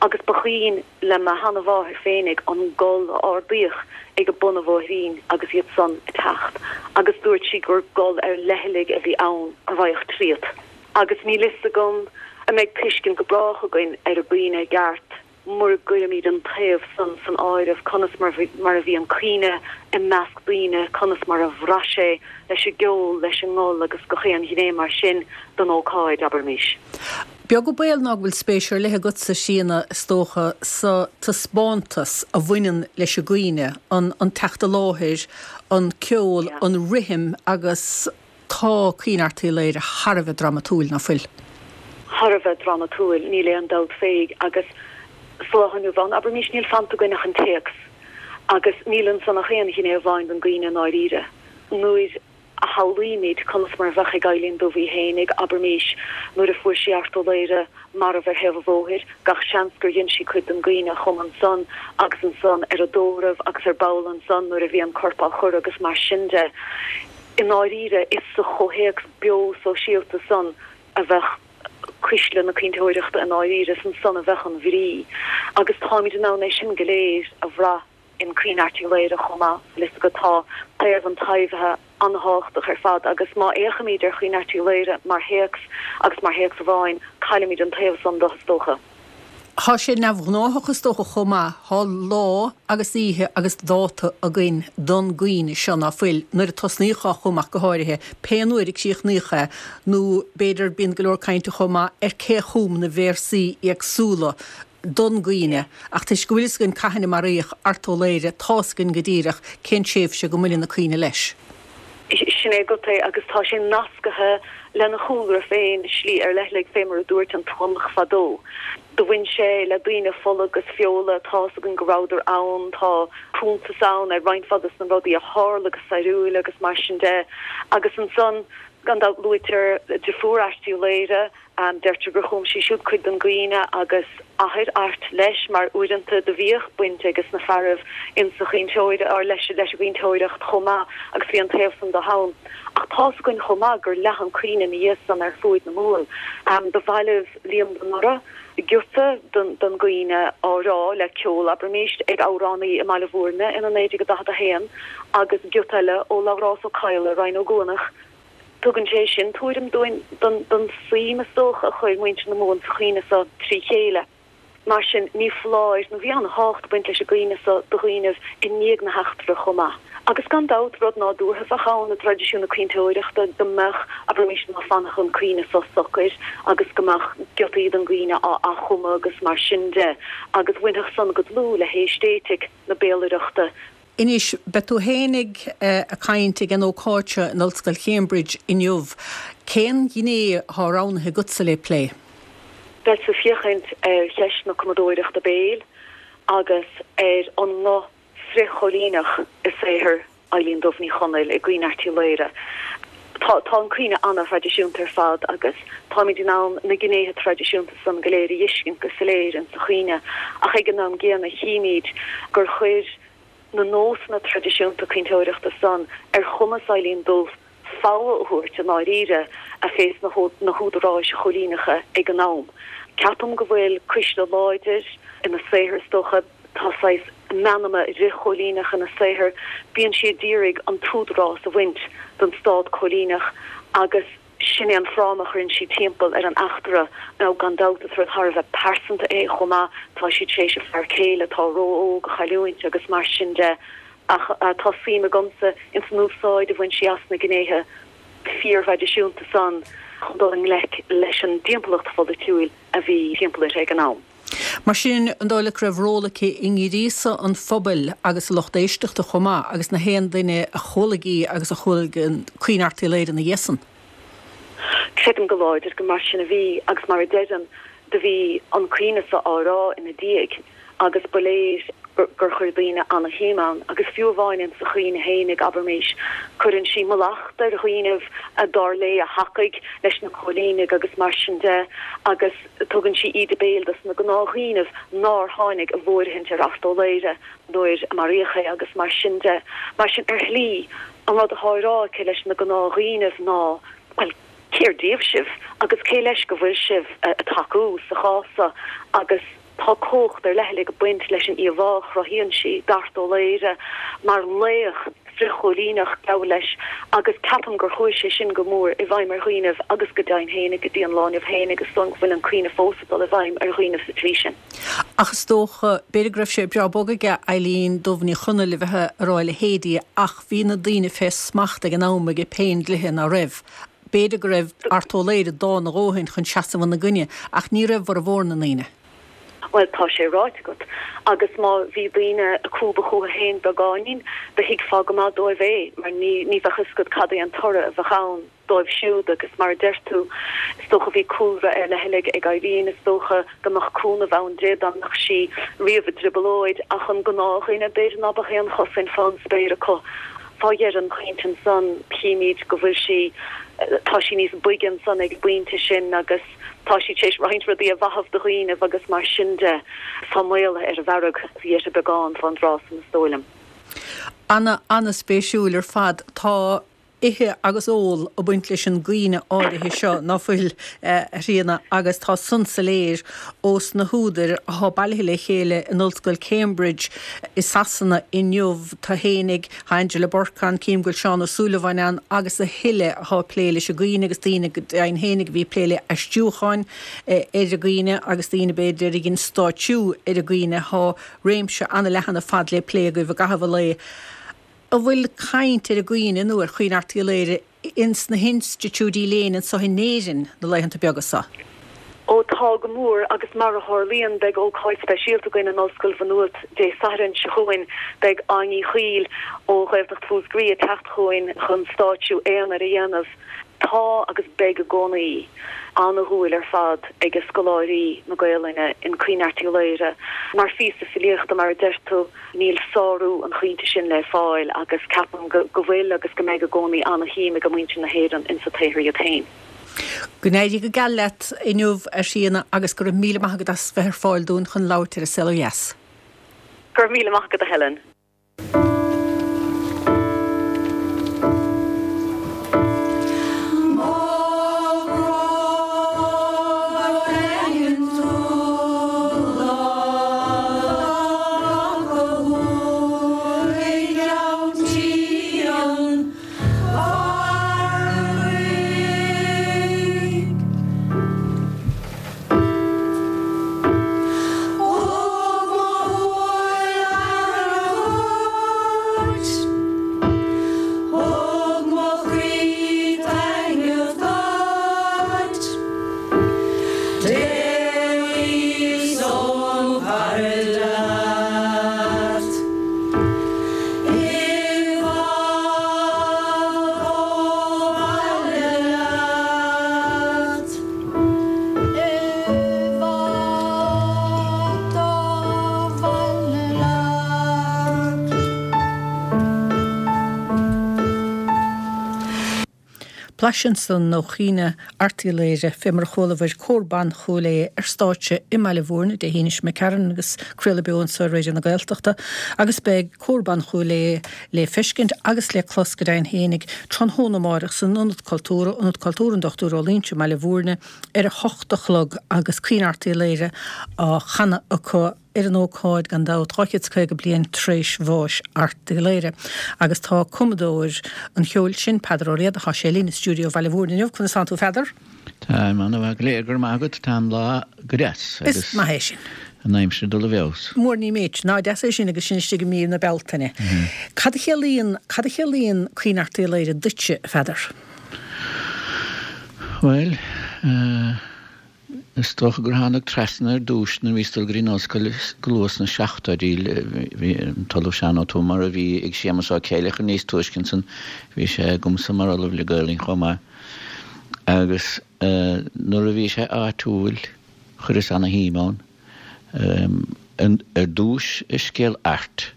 agus ba chuimhin le mo sheanamháthair féinig an gol a ardaíodh ag bun an bhóithrín agus iad san ag teacht agus dúirt sí gur gol ar leithligh a bhí ann a raghadh tríot. Agus níl fhios agam an mbeidh tuiscint go brách againn ar an gcaoineadh i gceart mura gcuirimid an taobh san san áireamh, conas mar mar a bhí an caoineadh i measc daoine, conas mar a bhraith sé leis an gceol, leis an ngol agus gach aon ghné mar sin den ócáid, abraimis. Beag an baol ná go bhfuil spéis ar leith agatsa, a Thríona, is dócha, sa taispeántas a bhaineann leis an gcaoineadh, an an teacht i láthair, an ceol, an rithim agus tá Caoineadh Airt Uí Laoghaire thar a bheith dramatúil, ná fuil? Thar a bheith dramatúil, níl aon dabht fé, agus sa lá inniu ann, abraimis, níl fanta againn ach an téacs, agus níl ansan ach aon ghné amháin den gcaoineadh i ndáiríre. Nuair a shamhlaímid conas mar a bheadh ag Eilín Dubh í fhéinig, abraimis, nuair a fuair sí Art Ó Laoghaire marbh ar thaobh an bhóthair, gach seans gur dhein sí cuid den gcaoineadh a chum ansan agus ansan ar an dtórramh agus ar ball ansan nuair a bhí an corp á chur agus mar sin de. I ndáiríre, is sa chomhthéacs beo sóisialta san a bheadh cuisle na caointeoireachta i ndáiríre, is ansan a bheadh an bhrí. Agus táimid in ann é sin go léir a bhrath in Caoineadh Airt Uí Laoghaire chomh maith. Bhfuil fhios agat, tá taobh an taibhithe an-thábhachtach ar fad agus má fhéachaimid ar Chaoineadh Airt Uí Laoghaire mar théacs agus mar théacs amháin, caillimid an taobh san de, is dócha. Thá sé neamhghnáthach is dócha chomh maith, thá lá agus oíche agus dáta againn don gcaoineadh seo, ná fuil, nuair a tosnaíodh á chumadh ach go háirithe, pé uair a críochnaíodh é, nó b'fhéidir bíonn go leor cainte chomh maith ar cé a chum na véarsaí éagsúla don gcaoineadh, ach toisc go bhfuil fhios againn cathain a maraíodh Art Ó Laoghaire, tá's againn go díreach cén tréimhse go mbaineann an caoineadh leis. Sin é agat é, agus tá sé nascaithe lena chúlra féin i slí ar leithligh, fé mar a dúirt an Tuamach fadó. Do bhain sé le daoine fola agus feola, tá's againn go rabhadar ann, tá cuntas ann ar roinnt mhaith dos na rudaí a tharla go stairiúil agus mar sin de. Agus ansan, gan dabht, luaitear deirfiúr Airt Uí Laoghaire, Deirtear gur chum sí siúd cuid den gcaoineadh agus athair Airt leis, mar uaireanta do bhíodh baint aiges na fearaibh insa chaointeoir, or leis an gcaointeoireacht chomh maith agus bhí an taobh san de ann. Ach tá's againn chomh maith gur leath an caoineadh ina dhiaidh san ar fuaid na Mumhan. Do bhailigh Liam de Noraidh giota den gcaoineadh á rá le ceol, abraimis, ag amhránaí i mBaile Bhúirne ina 1941 agus giota eile ó Labhrás Ó Cadhla i Rinn Ó gCuanach. Tugann sé sin tuairim dúinn den suim, is dócha, a chuir muintir na Mumhan sa chaoineadh so trí chéile. Mar sin, ní foláir nó bhí an-thábhacht ag baint leis an gcaoineadh so do dhaoinibh i ndiaidh na heachtra chomh maith. Agus gan dabht, rud nádúrtha a bheadh ann i dtraidisiún na caointeoireachta go mbeadh, abraimis, ná fanfadh an caoineadh so socair agus go mbeadh giotaí den gcaoineadh á athchumadh agus mar sin de, agus bhainfeadh san go dlúth le haeistéitic na béalaireachta. Anois, beidh tú fhéinig ag caint ag an ócáid seo in Ollscoil Cambridge inniu. Cén ghné atá roghnaithe agatsa le plé? Beadsa ag féachaint ar cheist na cumadóireachta béil agus ar an nguth frith-choilíneach i saothar Eilín Dubh Ní Chonaill i gCaoineadh Airt Uí Laoghaire. Tá tá an caoineadh an-thraidisiúnta ar fad agus táimid in ann na gnéithe traidisiúnta san go léir a dh'fheiscint go soiléir insa chaoineadh ach ag an am gcéanna chímid gur chuir na nósanna traidisiúnta caointeoireachta san ar chumas Eilín Dubh fogha a thabhairt i ndáiríre fés na húdaráis choilíneacha ag an am. Ceapaim go bhfuil cuisle láidir ina saothar is dócha. Tá saghas meanma fhrith-choilíneach ina saothar. Bíonn sí a d'iarraidh an t-údarás a bhaint den stát coilíneach agus sin é an fráma a chuireann sí timpeall ar an eachtra. Now gan dabht is rud thar a bheith pearsanta é chomh maith, tá sí tar éis a fear céile atá ró-óg a chailliúint agus mar sin de ach tá suim agamsa ins an úsáid a bhain sí as na gnéithe fíorthraidisiúnta san chun dul i ngleic leis an dtimpeallacht pholaitiúil a bhí timpeall uirthi ag an am. Mar sin, an dóigh leat go raibh ról aici i ngríosadh an phobail agus a lucht éisteachta chomh maith, agus na haon duine a chualaigh í agus a chualaigh an Caoineadh Airt Uí Laoghaire ina dhiaidh san? Creidim go láidir gur mar sin a bhí, agus mar a deirim, do bhí an caoineadh so á rá ina diaidh, agus ba léir. gur chuir daoine ana-shuim ann. Agus fiú amháin insa chaoineadh fhéinig, abraimis, cuireann sí mallacht ar dhaoinibh a dar léi a thacaigh leis na cóilínigh agus mar sin de, agus tugann sí íde béil dos na gnáthdhaoinibh nár tháinig i bhfóirithint ar Art Ó Laoghaire nuair a maraíodh é agus mar sin de. Mar sin, ar shlí, an rud athá á rá aici leis na gnáthdhaoinibh ná, bhuel, cér díobh sibh agus cé leis go bhfuil sibh a' tacú sa chás so agus tá cumhacht ar leithligh ag baint leis an íomhá a chruthaíonn sí d'Art Ó Laoghaire mar laoch frithchóilíneach, gabh leis, agus ceapaim gur chuaigh sé sin go mór i bhfeidhm ar dhaoinibh agus go deimhin fhéinig go dtí an lá inniu fhéinig is dóigh go bhfuil an caoineadh fós ag dul i bhfeidhm ar dhaoinibh sa tslí sin. Ach is dócha, b'fhéidir go raibh sé breá bog aige Eileen Dubh Ní Chonaill a bheith a rá a leithéidí ach bhí na daoine fé smacht ag an am ag péindlíthe, ná raibh? B'fhéidir go raibh Art Ó Laoghaire dána a dhóthain chun seasamh ina gcoinne, ach ní raibh formhór na ndaoine. Bhuel, tá sé ráite agat. Agus má bhí daoine ag cúbadh chúthu féin beagáinín, do thuigfeá go maith dóibh é, mar ní bheadh fhios agat cad é an toradh a bheadh ann dóibh siúd. Agus mar a deir tú, is dócha bhí cúlra ar leithligh ag Eileen, is dócha go mbeadh cúnamh ann di dá mbeadh sí riamh i dtrioblóid, ach an gnáthdhuine, b'fhéidir ná beadh aon chosaint fán spéir acu. Fá dheireadh an chaointe ansan, chímíd go bhfuil sí, tá sí níos boige ansan ag an bpointe sin agus tá sí tar éis roinnt rudaí a mhaitheamh do dhaoinibh agus mar sin de. Tá maolaithe ar an bhfearg giota beagán fán dtráth san is dóigh liom. Ana, ana-spéisiúil ar fad. Tá ithe agus ól ag baint leis an gcaoineadh áirithe seo, ná fuil, a Thríona, agus tá san soiléir ós na húdair athá bailithe le chéile in Ollscoil Cambridge i Sasana inniu, tá fhéinig, tá Angela Bourke ann, cím go bhfuil Seán Ó Súilleabháin ann agus a thuilleadh athá ag plé leis an gcaoineadh agus daoine go deimhin fhéinig a bhí ag plé le aistriúcháin ar an gcaoineadh agus daoine b'fhéidir a dhein stáitsiú ar an gcaoineadh. Thá réimse ana-leathan ar fad le plé agaibh i gcaitheamh an lae. An bhfuil caint ar an gcaoineadh nó ar Chaoineadh Airt Uí Laoghaire ins na hinstitiúidí léinn anso in Éirinn na laethanta beaga so? Ó tá, go mór, agus mar a tharlaíonn beidh ócáid speisialta againn in Ollscoil Mhaigh Nuad Dé Sathairn seo chugainn. Beidh Áine Uí Chuill ó Ghaeltacht Mhúscraí ag teacht chugainn chun stáitsiú aonair a dhéanamh. Tá, agus beidh i gcónaí, ana-dhúil ar fad ag scoláirí na Gaelainne in Caoineadh Airt Uí Laoghaire. Mar phíosa filíochta, mar a deir tú, Níl sárú an chaointe sin le fáil agus ceapaim go bhfuil agus go mbeidh i gcónaí ana-shuim ag muintir na hÉireann insa tsaothar iad féin. Go n-éirí go geal leat inniu, a Thríona, agus go raibh míle maith agat as bheith ar fáil dúinn chun labhairt ar An Saol Ó Dheas. Go raibh míle maith agat, a Helen. Blaiseadh ansan ó Chaoineadh Airt Uí Laoghaire, fé mar a chualabhair Cór Ban Chúil Aodha ar stáitse i mBaile Bhúirne Dé hAoine seo imigh tharainn agus craoladh beo anso ar Raidió na Gaeltachta agus beidh Cór Ban Chúil Aodha le feiscint agus le clos go deimhin fhéinig tráthnóna amáireach san Ionad Cultúrtha, Ionad Cultúrtha an Dr Ó Loingsigh i mBaile Bhúirne ar a hocht a chlog agus Caoineadh Airt Uí Laoghaire á chanadh acu ar an ócáid, gan dabht, 250 bliain tar éis bháis Airt Uí Laoghaire. Agus tá cumadóir an cheoil sin, Peadar Ó Riada, tá sé linn i stiúideo Bhaile Bhúirne inniu. Conas tánn tú, a Pheadair? Táim ana-mhaith go léir, go raibh maith agat. Tá an lá go deas agus. Is maith é sin. An aimsir ag dul i bhfeabhas. Mór ní méid. Ná deas é sin agus sinn istigh i mí na Bealtaine. Cad a chiallaíonn, cad a chiallaíonn Caoineadh Airt Uí Laoghaire duitse, a Pheadair? Bhuel, is dócha gur thánag trasna ar dtús nuair a bhíos ag dul go dtí an ollscoil go luath sna seachtóidí. Bhí an tOllamh Seán Ó Tuama, a bhí ag Séamus Ó Céileachair níos túisce ansan, bhí sé agamsa mar Ollamh le Gaelainn chomh maith. Agus nuair a bhí sé áitiúil, chuireas ana-shuim ann. Ar dtúis scéal Airt,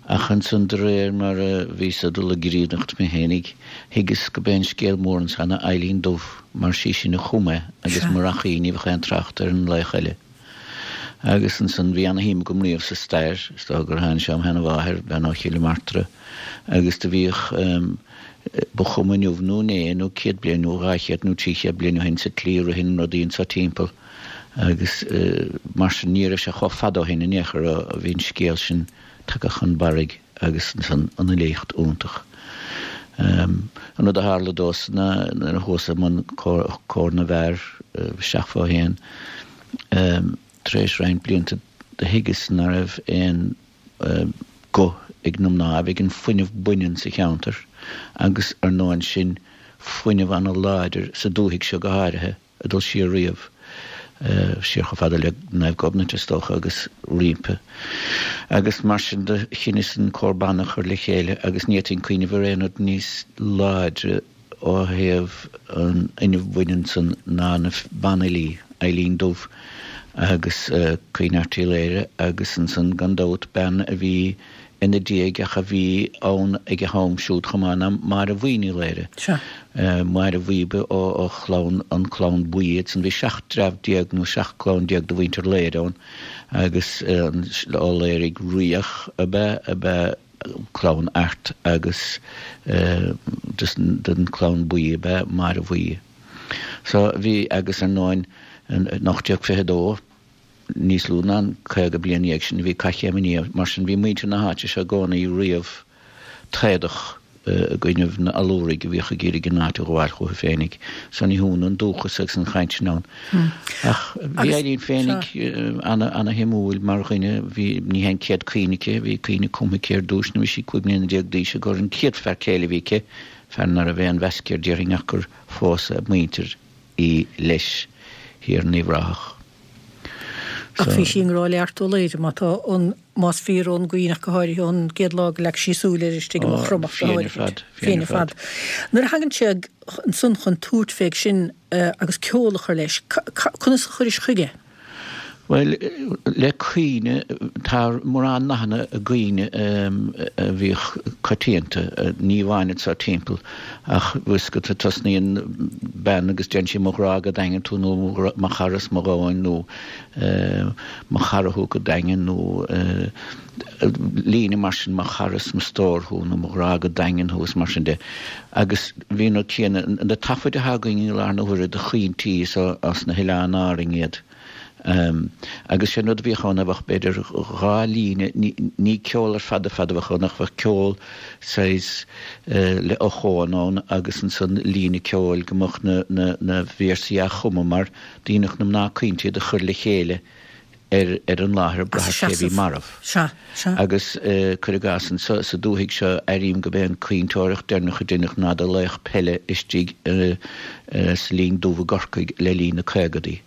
ach ansan de réir mar a bhíos ag dul i gcríonnacht mé fhéinig, thuigeas go b'é an scéal mór ansan ná Eilín Dubh, mar sí sin a chum é agus murach í ní bheadh aon trácht ar an laoch eile. Agus ansan bhí ana-shuim agam riamh sa stair, is dócha gur tháinig sé óm sheana-mháthair, bean ó Chill Martra, agus do bhíodh, ba chuma inniu nó inné nó 100 bliain nó 200 nó 300 bliain ó shin sa tslí a ritheann rudaí anso timpeall agus mar sin ní raibh sé chomh fada ó shin in aon chor ó bhí an scéal sin tagtha chun barraigh agus ansan an fhilíocht iontach. An rud a tharla domhsa ná nuair a chuas i mbun Comhar na bhFear isteach fó fhéin tar éis roinnt blianta do thuigeas ná raibh aon guth ag na mná, ag an fuinneamh baineann sa cheantar agus ar ndóigh ansin fuinneamh ana-láidir sa dúthaigh seo go háirithe ag dul siar riamh, siar chomh fada le Naomh Gobnait is dócha agus roimpi. Agus mar sin do chinneas an Cór Ban a chur le chéile agus ní fhéadfainn cuimhneamh ar aon rud níos láidre ó thaobh an fhuinnimh bhaineann san ná na banfhilí, Eilín Dubh agus Caoineadh Airt Uí Laoghaire agus ansan gan dabht bean a bhí ina diaidh ach a bhí ann ag a ham siúd chomh maith ná Máire Bhuí Ní Laoghaire. Sea. Máire Bhuí ba ó chlann, an clann Buí iad san. Bhí 17 dtreabh nó 17 clann de mhuintir Laoghaire ann agus Ó Laoraigh Riach ab ea, ab ea clann Airt agus den chlann Buí ab ea Máire Bhuí. So bhí, agus ar ndóin in 1822, níos lú ná an 50 bliain ina dhiaidh sin, bhí Cath Chéim an Fhia, mar sin bhí muintir na háite seo i gcónaí riamh taodach i gcoinnibh na Allúraigh a bhíodh ag iarraidh an áit a ghabháil chucu féinig. So ní hionadh an dúchas agus an chaint sin ann. Ach bhí Eilín féinig ana-shuimiúil mar dhuine. Bhí, ní hé an chéad caoineadh aici, bhí caoineadh cumtha aici ar dtúis nuair a bhí sí 15 mbliana d'aois i gcomhair an chéad fear céile a bhí aici, fear ná raibh aon mheas aici air déarfainn ach gur phós a muintir í leis thiar in Uíbh Ráthach. Ach bhí sí i ngrá le Art Ó Laoghaire, má tá an, más fíor ón gcaoineadh ach go háirithe ón gcéad lá go leag sí súil air istigh i Maigh Chromach go Fírinne ar háirithe. fad, Fírinne ar fad. Nuair a thagann sé ansan chun tabhairt fé sin agus ceol a chur leis, conas a chuiris chuige? Bhuel, le caoineadh, tá mórán nathanna i gcaoineadh a bhíodh coitianta, ní amháin anso timpeall, ach bhfuil fhios agat, tosnaíonn bean agus deireann sí mo ghrá go daingean tú nó mo chara is mo dhomhain nó mo chara thú go daingean nó líne mar sin mo chara is mo stór thú nó mo ghrá go daingean thú is mar sin de. Agus bhí an rud céanna, na taifid atá againn i láthair na huaire de chaointí is as na hOileáin Árainn iad. Agus sé an rud a bhíodh ann, bheadh b'fhéidir dhá líne, ní ceol ar fad ar fad a bheadh ann ach bheadh ceol saghas le ochón ann agus ansan líne ceoil go mbeadh na, na, na véarsaí á chumadh mar dhéanadh na mná caointe iad a chur le chéile ar, ar an láthair ag brath ar cé bhí marbh. Sea, sea. Agus cuir i gcás anso sa dúthaigh seo airím go b'é an caointeoireacht deireanach a deineadh ná do laoch peile istigh sa Linn Dubh i gCorcaigh le linn na caogadaí.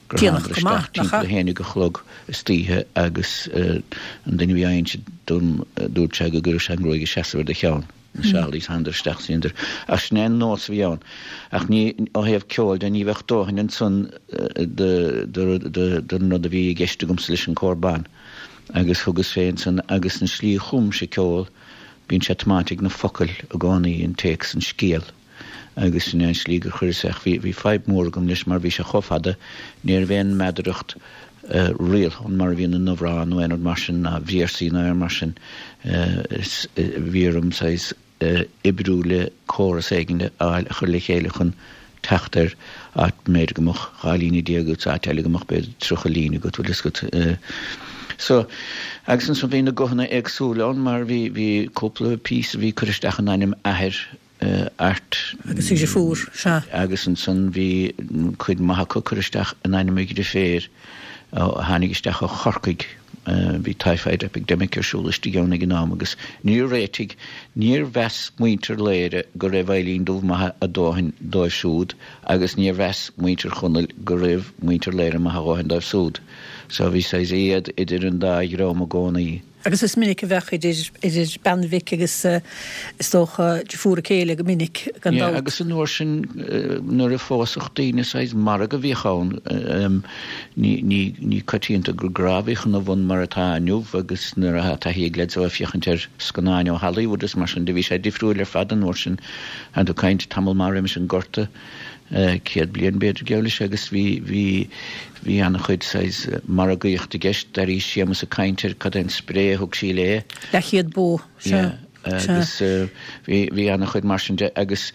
gur Déanach thánadar go maith, isteach nach ea? timpeall a haon déag a chlog istoíche agus an duine a bhí á inse dom dúirt sé go gcuirfeadh sé an ghruaig ag seasamh ar do cheann, na sealaí, thánadar isteach is dheineadar. Ach sin é an nós a bhí ann. Ach ní, ó thaobh ceoil de, ní bheadh dóthain ansan don rud a bhí i gceist agamsa leis an cór ban. Agus thugas fé ansan agus an slí a chumse ceol, bíonn sé tiomáinte ag na focail i gcónaí, an téacs, an scéal. agus sin é an slí gur chuireas é ach bhí, bhí fadhb mhór agam leis mar bhí sé chomh fada, ní raibh aon mheadaracht rialta ann mar a bhíonn in amhrán nó aon rud mar sin ná véarsaí ná aon mar sin, is bhí orm saghas oibriú le córas éigin a fháil a chur le chéile chun teacht ar áit b'fhéidir go mbeadh 12 líne agat, áit eile go mbeadh b'fhéidir 30 líne agat, bhfuil fhios agat. So, agus ansan bhí na guthanna éagsúla ann mar bhí, bhí cúpla píosa a bhí curtha isteach in ainm athair Airt. Agus a dhriofúr, sea. Agus ansan bhí cuid maith acu curtha isteach in ainm a dhriféar a tháinig isteach ó Chorcaigh. Bhí typhoid epidemic ar siúl istigh ann ag an am agus níor réitigh, níor mheas muintir Laoghaire go raibh Eilín Dubh maith a dóthain dóibh siúd agus níor mheas muintir Chonaill go raibh muintir Laoghaire maith a dhóthain dóibh súd. So bhí saghas éad idir an dá dhream i gcónaí. Agus is minic a bheadh idir, idir bean mhic agus is dócha deirfiúr a céile go minic, gan dabht. Yeah, agus an uair sin nuair a phósfadh daoine saghas margadh a bhíodh ann, ní, ní, ní coitianta gur grá a bhíodh ina bhun mar atá inniu agus nuair atá taithí ag leaids a bheith ag féachaint ar scannáin ó Hollywood is mar sin de bhí sé difriúil ar fad an uair sin. Tá tú ag caint tamall maith roimis an Gorta. 100 bliain b'fhéidir geall leis agus bhí, bhí, bhí an-chuid saghas margaíocht i gceist. D'airís Séamus ag caint ar cad é an spré a thug sí léi. Leathchéad bó, sea, Yeah, sea. agus bhí, bhí an-chuid mar sin de agus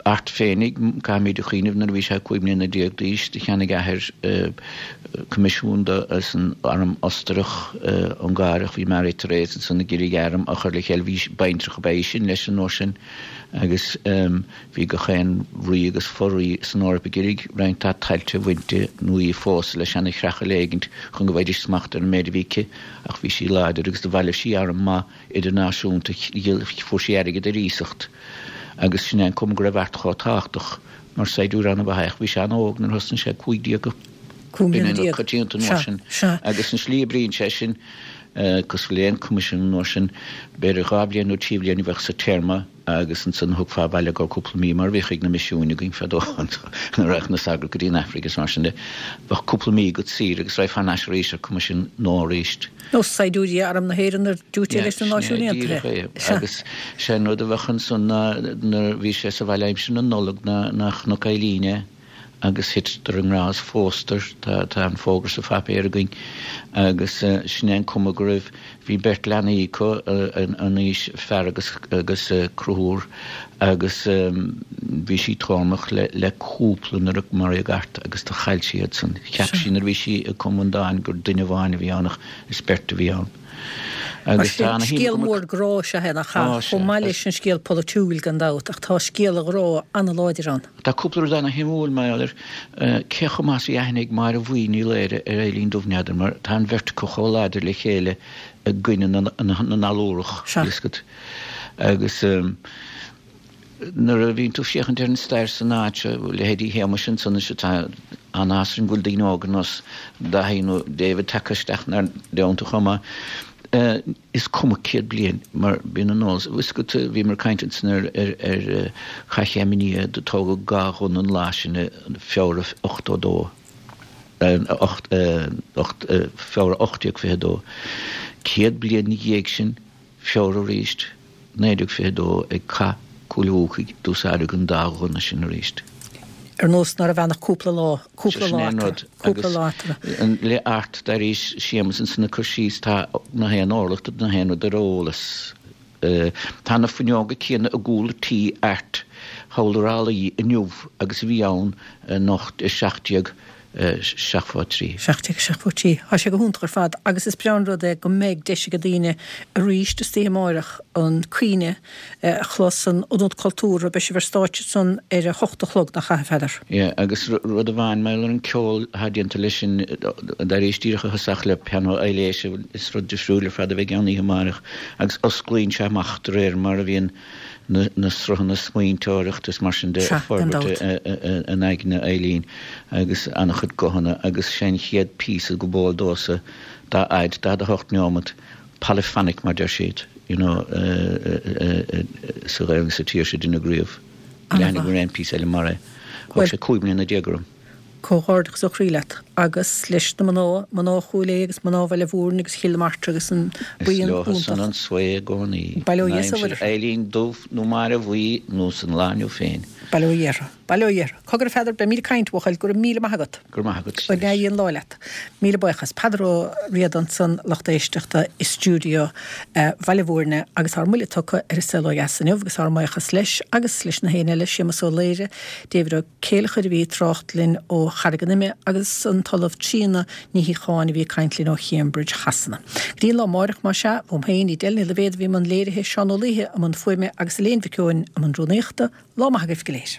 Art féinig, caithfimid a chuimhneamh nuair a bhí sé 15 mbliana d'aois do cheannaigh a athair coimisiún dó as an arm Ostarach, Ungáireach, bhí Marie Therese ansan ag iarraidh arm a chur le chéile, bhí, baintreach ab ea í sin leis an uair sin agus. Bhí gach aon rí agus fo-rí san Eoraip ag iarraidh roinnt dá tailte a bhaint di nó í a phósadh le seana chreachadh éigint chun go bhfaighidís smacht ar an méid a bhí aici ach bhí sí láidir agus do bhailigh sí arm maith idirnáisiúnta fuair sí airgead ar iasacht agus sin é an cuma go raibh Art chomh tábhachtach mar saighdiúir an-mhaith é ach bhí sé an-óg nuair a thosnaigh sé 15 15 mbliana. B'in coitianta an uair sin agus an slí a oibríonn sé sin cosúil le aon coimisiún an uair sin b'fhéidir dhá bhliain nó trí bhliain a bheadh sa téarma agus ansan thiocfá abhaile i gcomhair cúpla mí, mar a bhíodh ag na misiúin againn fadó nuair a raghadh na sagairt go dtí an Aifric is mar sin de, bheadh cúpla mí agat saor agus raghfá thar n-ais arís ar coimisiún nua arís. Nós saighdiúirí Arm na hÉireann ar diúité leis na Náisiúin Aontaithe. Díreach é. Agus sé an rud a bheadh ansan ná nuair a bhí sé sa bhaile aimsir na Nollag ná ná chonac Eileen é agus thiteadar i ngrá is phósadar, tá tá an fógra sa phaipéar againn agus sin é an cuma go raibh, bhí beirt leanaí acu an aois, fear agus agus Conchúr agus bhí sí tórmach le le cúpla nuair a maraíodh Art agus do chaill sí iad san. Cheap sí nuair a bhí sí ag cumadh an dáin gur duine amháin a bhí ann ach is beirt a bhí ann. Mar sin, scéal mór grá is ea é, nach ea? Chomh maith leis an scéal polaitiúil, gan dabht, ach tá scéal an ghrá an-láidir ann. Tá cúpla rud ana-shuimiúil mar gheall air. Cé chomh maith is a bhí aithne ag Máire Bhuí Ní Laoire ar Eilín Dubh, n'fheadar, mar tá an bheirt acu chomh láidir le chéile i gcoinne na nAllúrach, bhí fhios agat. Agus. Nuair a bhíonn tú ag féachaint ar an stair san áit seo, leithéidí Shéamais ansan is tá an-áthas orainn go bhfuil daoine óga ar nós Dáithí nó David tagtha isteach inár dteannta chomh maith. Is cuma 100 bliain mar bíonn an eolas. Bhí fhios agat, bhíomar ag caint ansan ar ar Chath Chéim an Fhia, do tógadh dhá ghunna an lá sin i Feabhra 82, Feabhra 1822. 100 bliain ina dhiaidh sin, Feabhra arís, 1922, ag Cath Cúil Bhuacaigh, d'úsáideadh an dá ghunna sin arís. Ar nós ná raibh ann ach cúpla lá, cúpla Sin lá é an eatarthu, rud. cúpla Agus lá eatarthu. le Art, d'airíos Séamus ansan ag cur síos, tá na haon orlach de na haon rud ar eolas. Tá na fuinneoga céanna i gcúl tí Airt thall i Ráth Lao inniu agus a bhí ann in 17 73. 1773. Tá sé go hiontach ar fad agus is breá an rud é go mbeidh deis ag daoine arís istoíche amáireach an caoineadh a chlos san Ionad Cultúrtha. Beidh sibh ar stáitse ansan ar a hocht a chlog, nach ea, a Pheadair? Yeah, agus rud amháin mar gheall ar an ceol atá déanta leis sin, d'airíos díreach a thosach le pianó Aibhléise, is rud difriúil ar fad a bheidh ann oíche amáireach agus osclaíonn sé amach de réir mar a bhíonn na sruthanna smaointeoireachta is mar sin de Sea, ag gan forbairt dabht. in aigne Eileen agus an-chuid guthanna agus sé an chéad píosa go b'eol domhsa dá fhaid, 48 neomat, polyphonic mar deir siad, you know, sa Ghaelainn sa tír seo deineadh riamh. Níl aithne agam ar aon phíosa eile mar é. Thóg sé 15 mbliana orm. Comhghairdeachas ó chroí leat agus leis na mná, mná Chúil Aodha agus mná Bhaile Mhúirne agus Chill na Martra agus an Is buíon leo san iontach. an svae i gcónaí. Bail ó In Dhia is ó aimsir Mhuire. Eilín Dubh nó Máire Bhuí nó san lá inniu féin. Bail ó Dhia orthu. Bail ó Dhia orthu. Cogar a Pheadair, beimid ag caint, a bhuachaill, go raibh míle maith agat. Go raibh maith agat. Go n-éirí an lá leat. Míle buíochas. Peadar Ó Riada ansan, lucht éisteachta i stiúideo Bhaile Mhúirne agus ár mbuille tugtha ar An Saol Ó Dheas inniu agus ár mbuíochas leis agus leis na héinne eile, Séamus Ó Laoire, David Ó Céileachair a bhí ag trácht linn ó Charraig an Ime agus an tOllamh Tríona Ní Shíocháin a bhí ag caint linn ó Chambridge Shasana. Go dtí an lá amáireach más ea, uaim féin, Edel Ní Loibhéad a bhí i mbun léirithe, Seán Ó Laoithe i mbun fuaime agus Elaine Mhic Eoin i mbun rúnaíochta, lá maith agaibh go léir.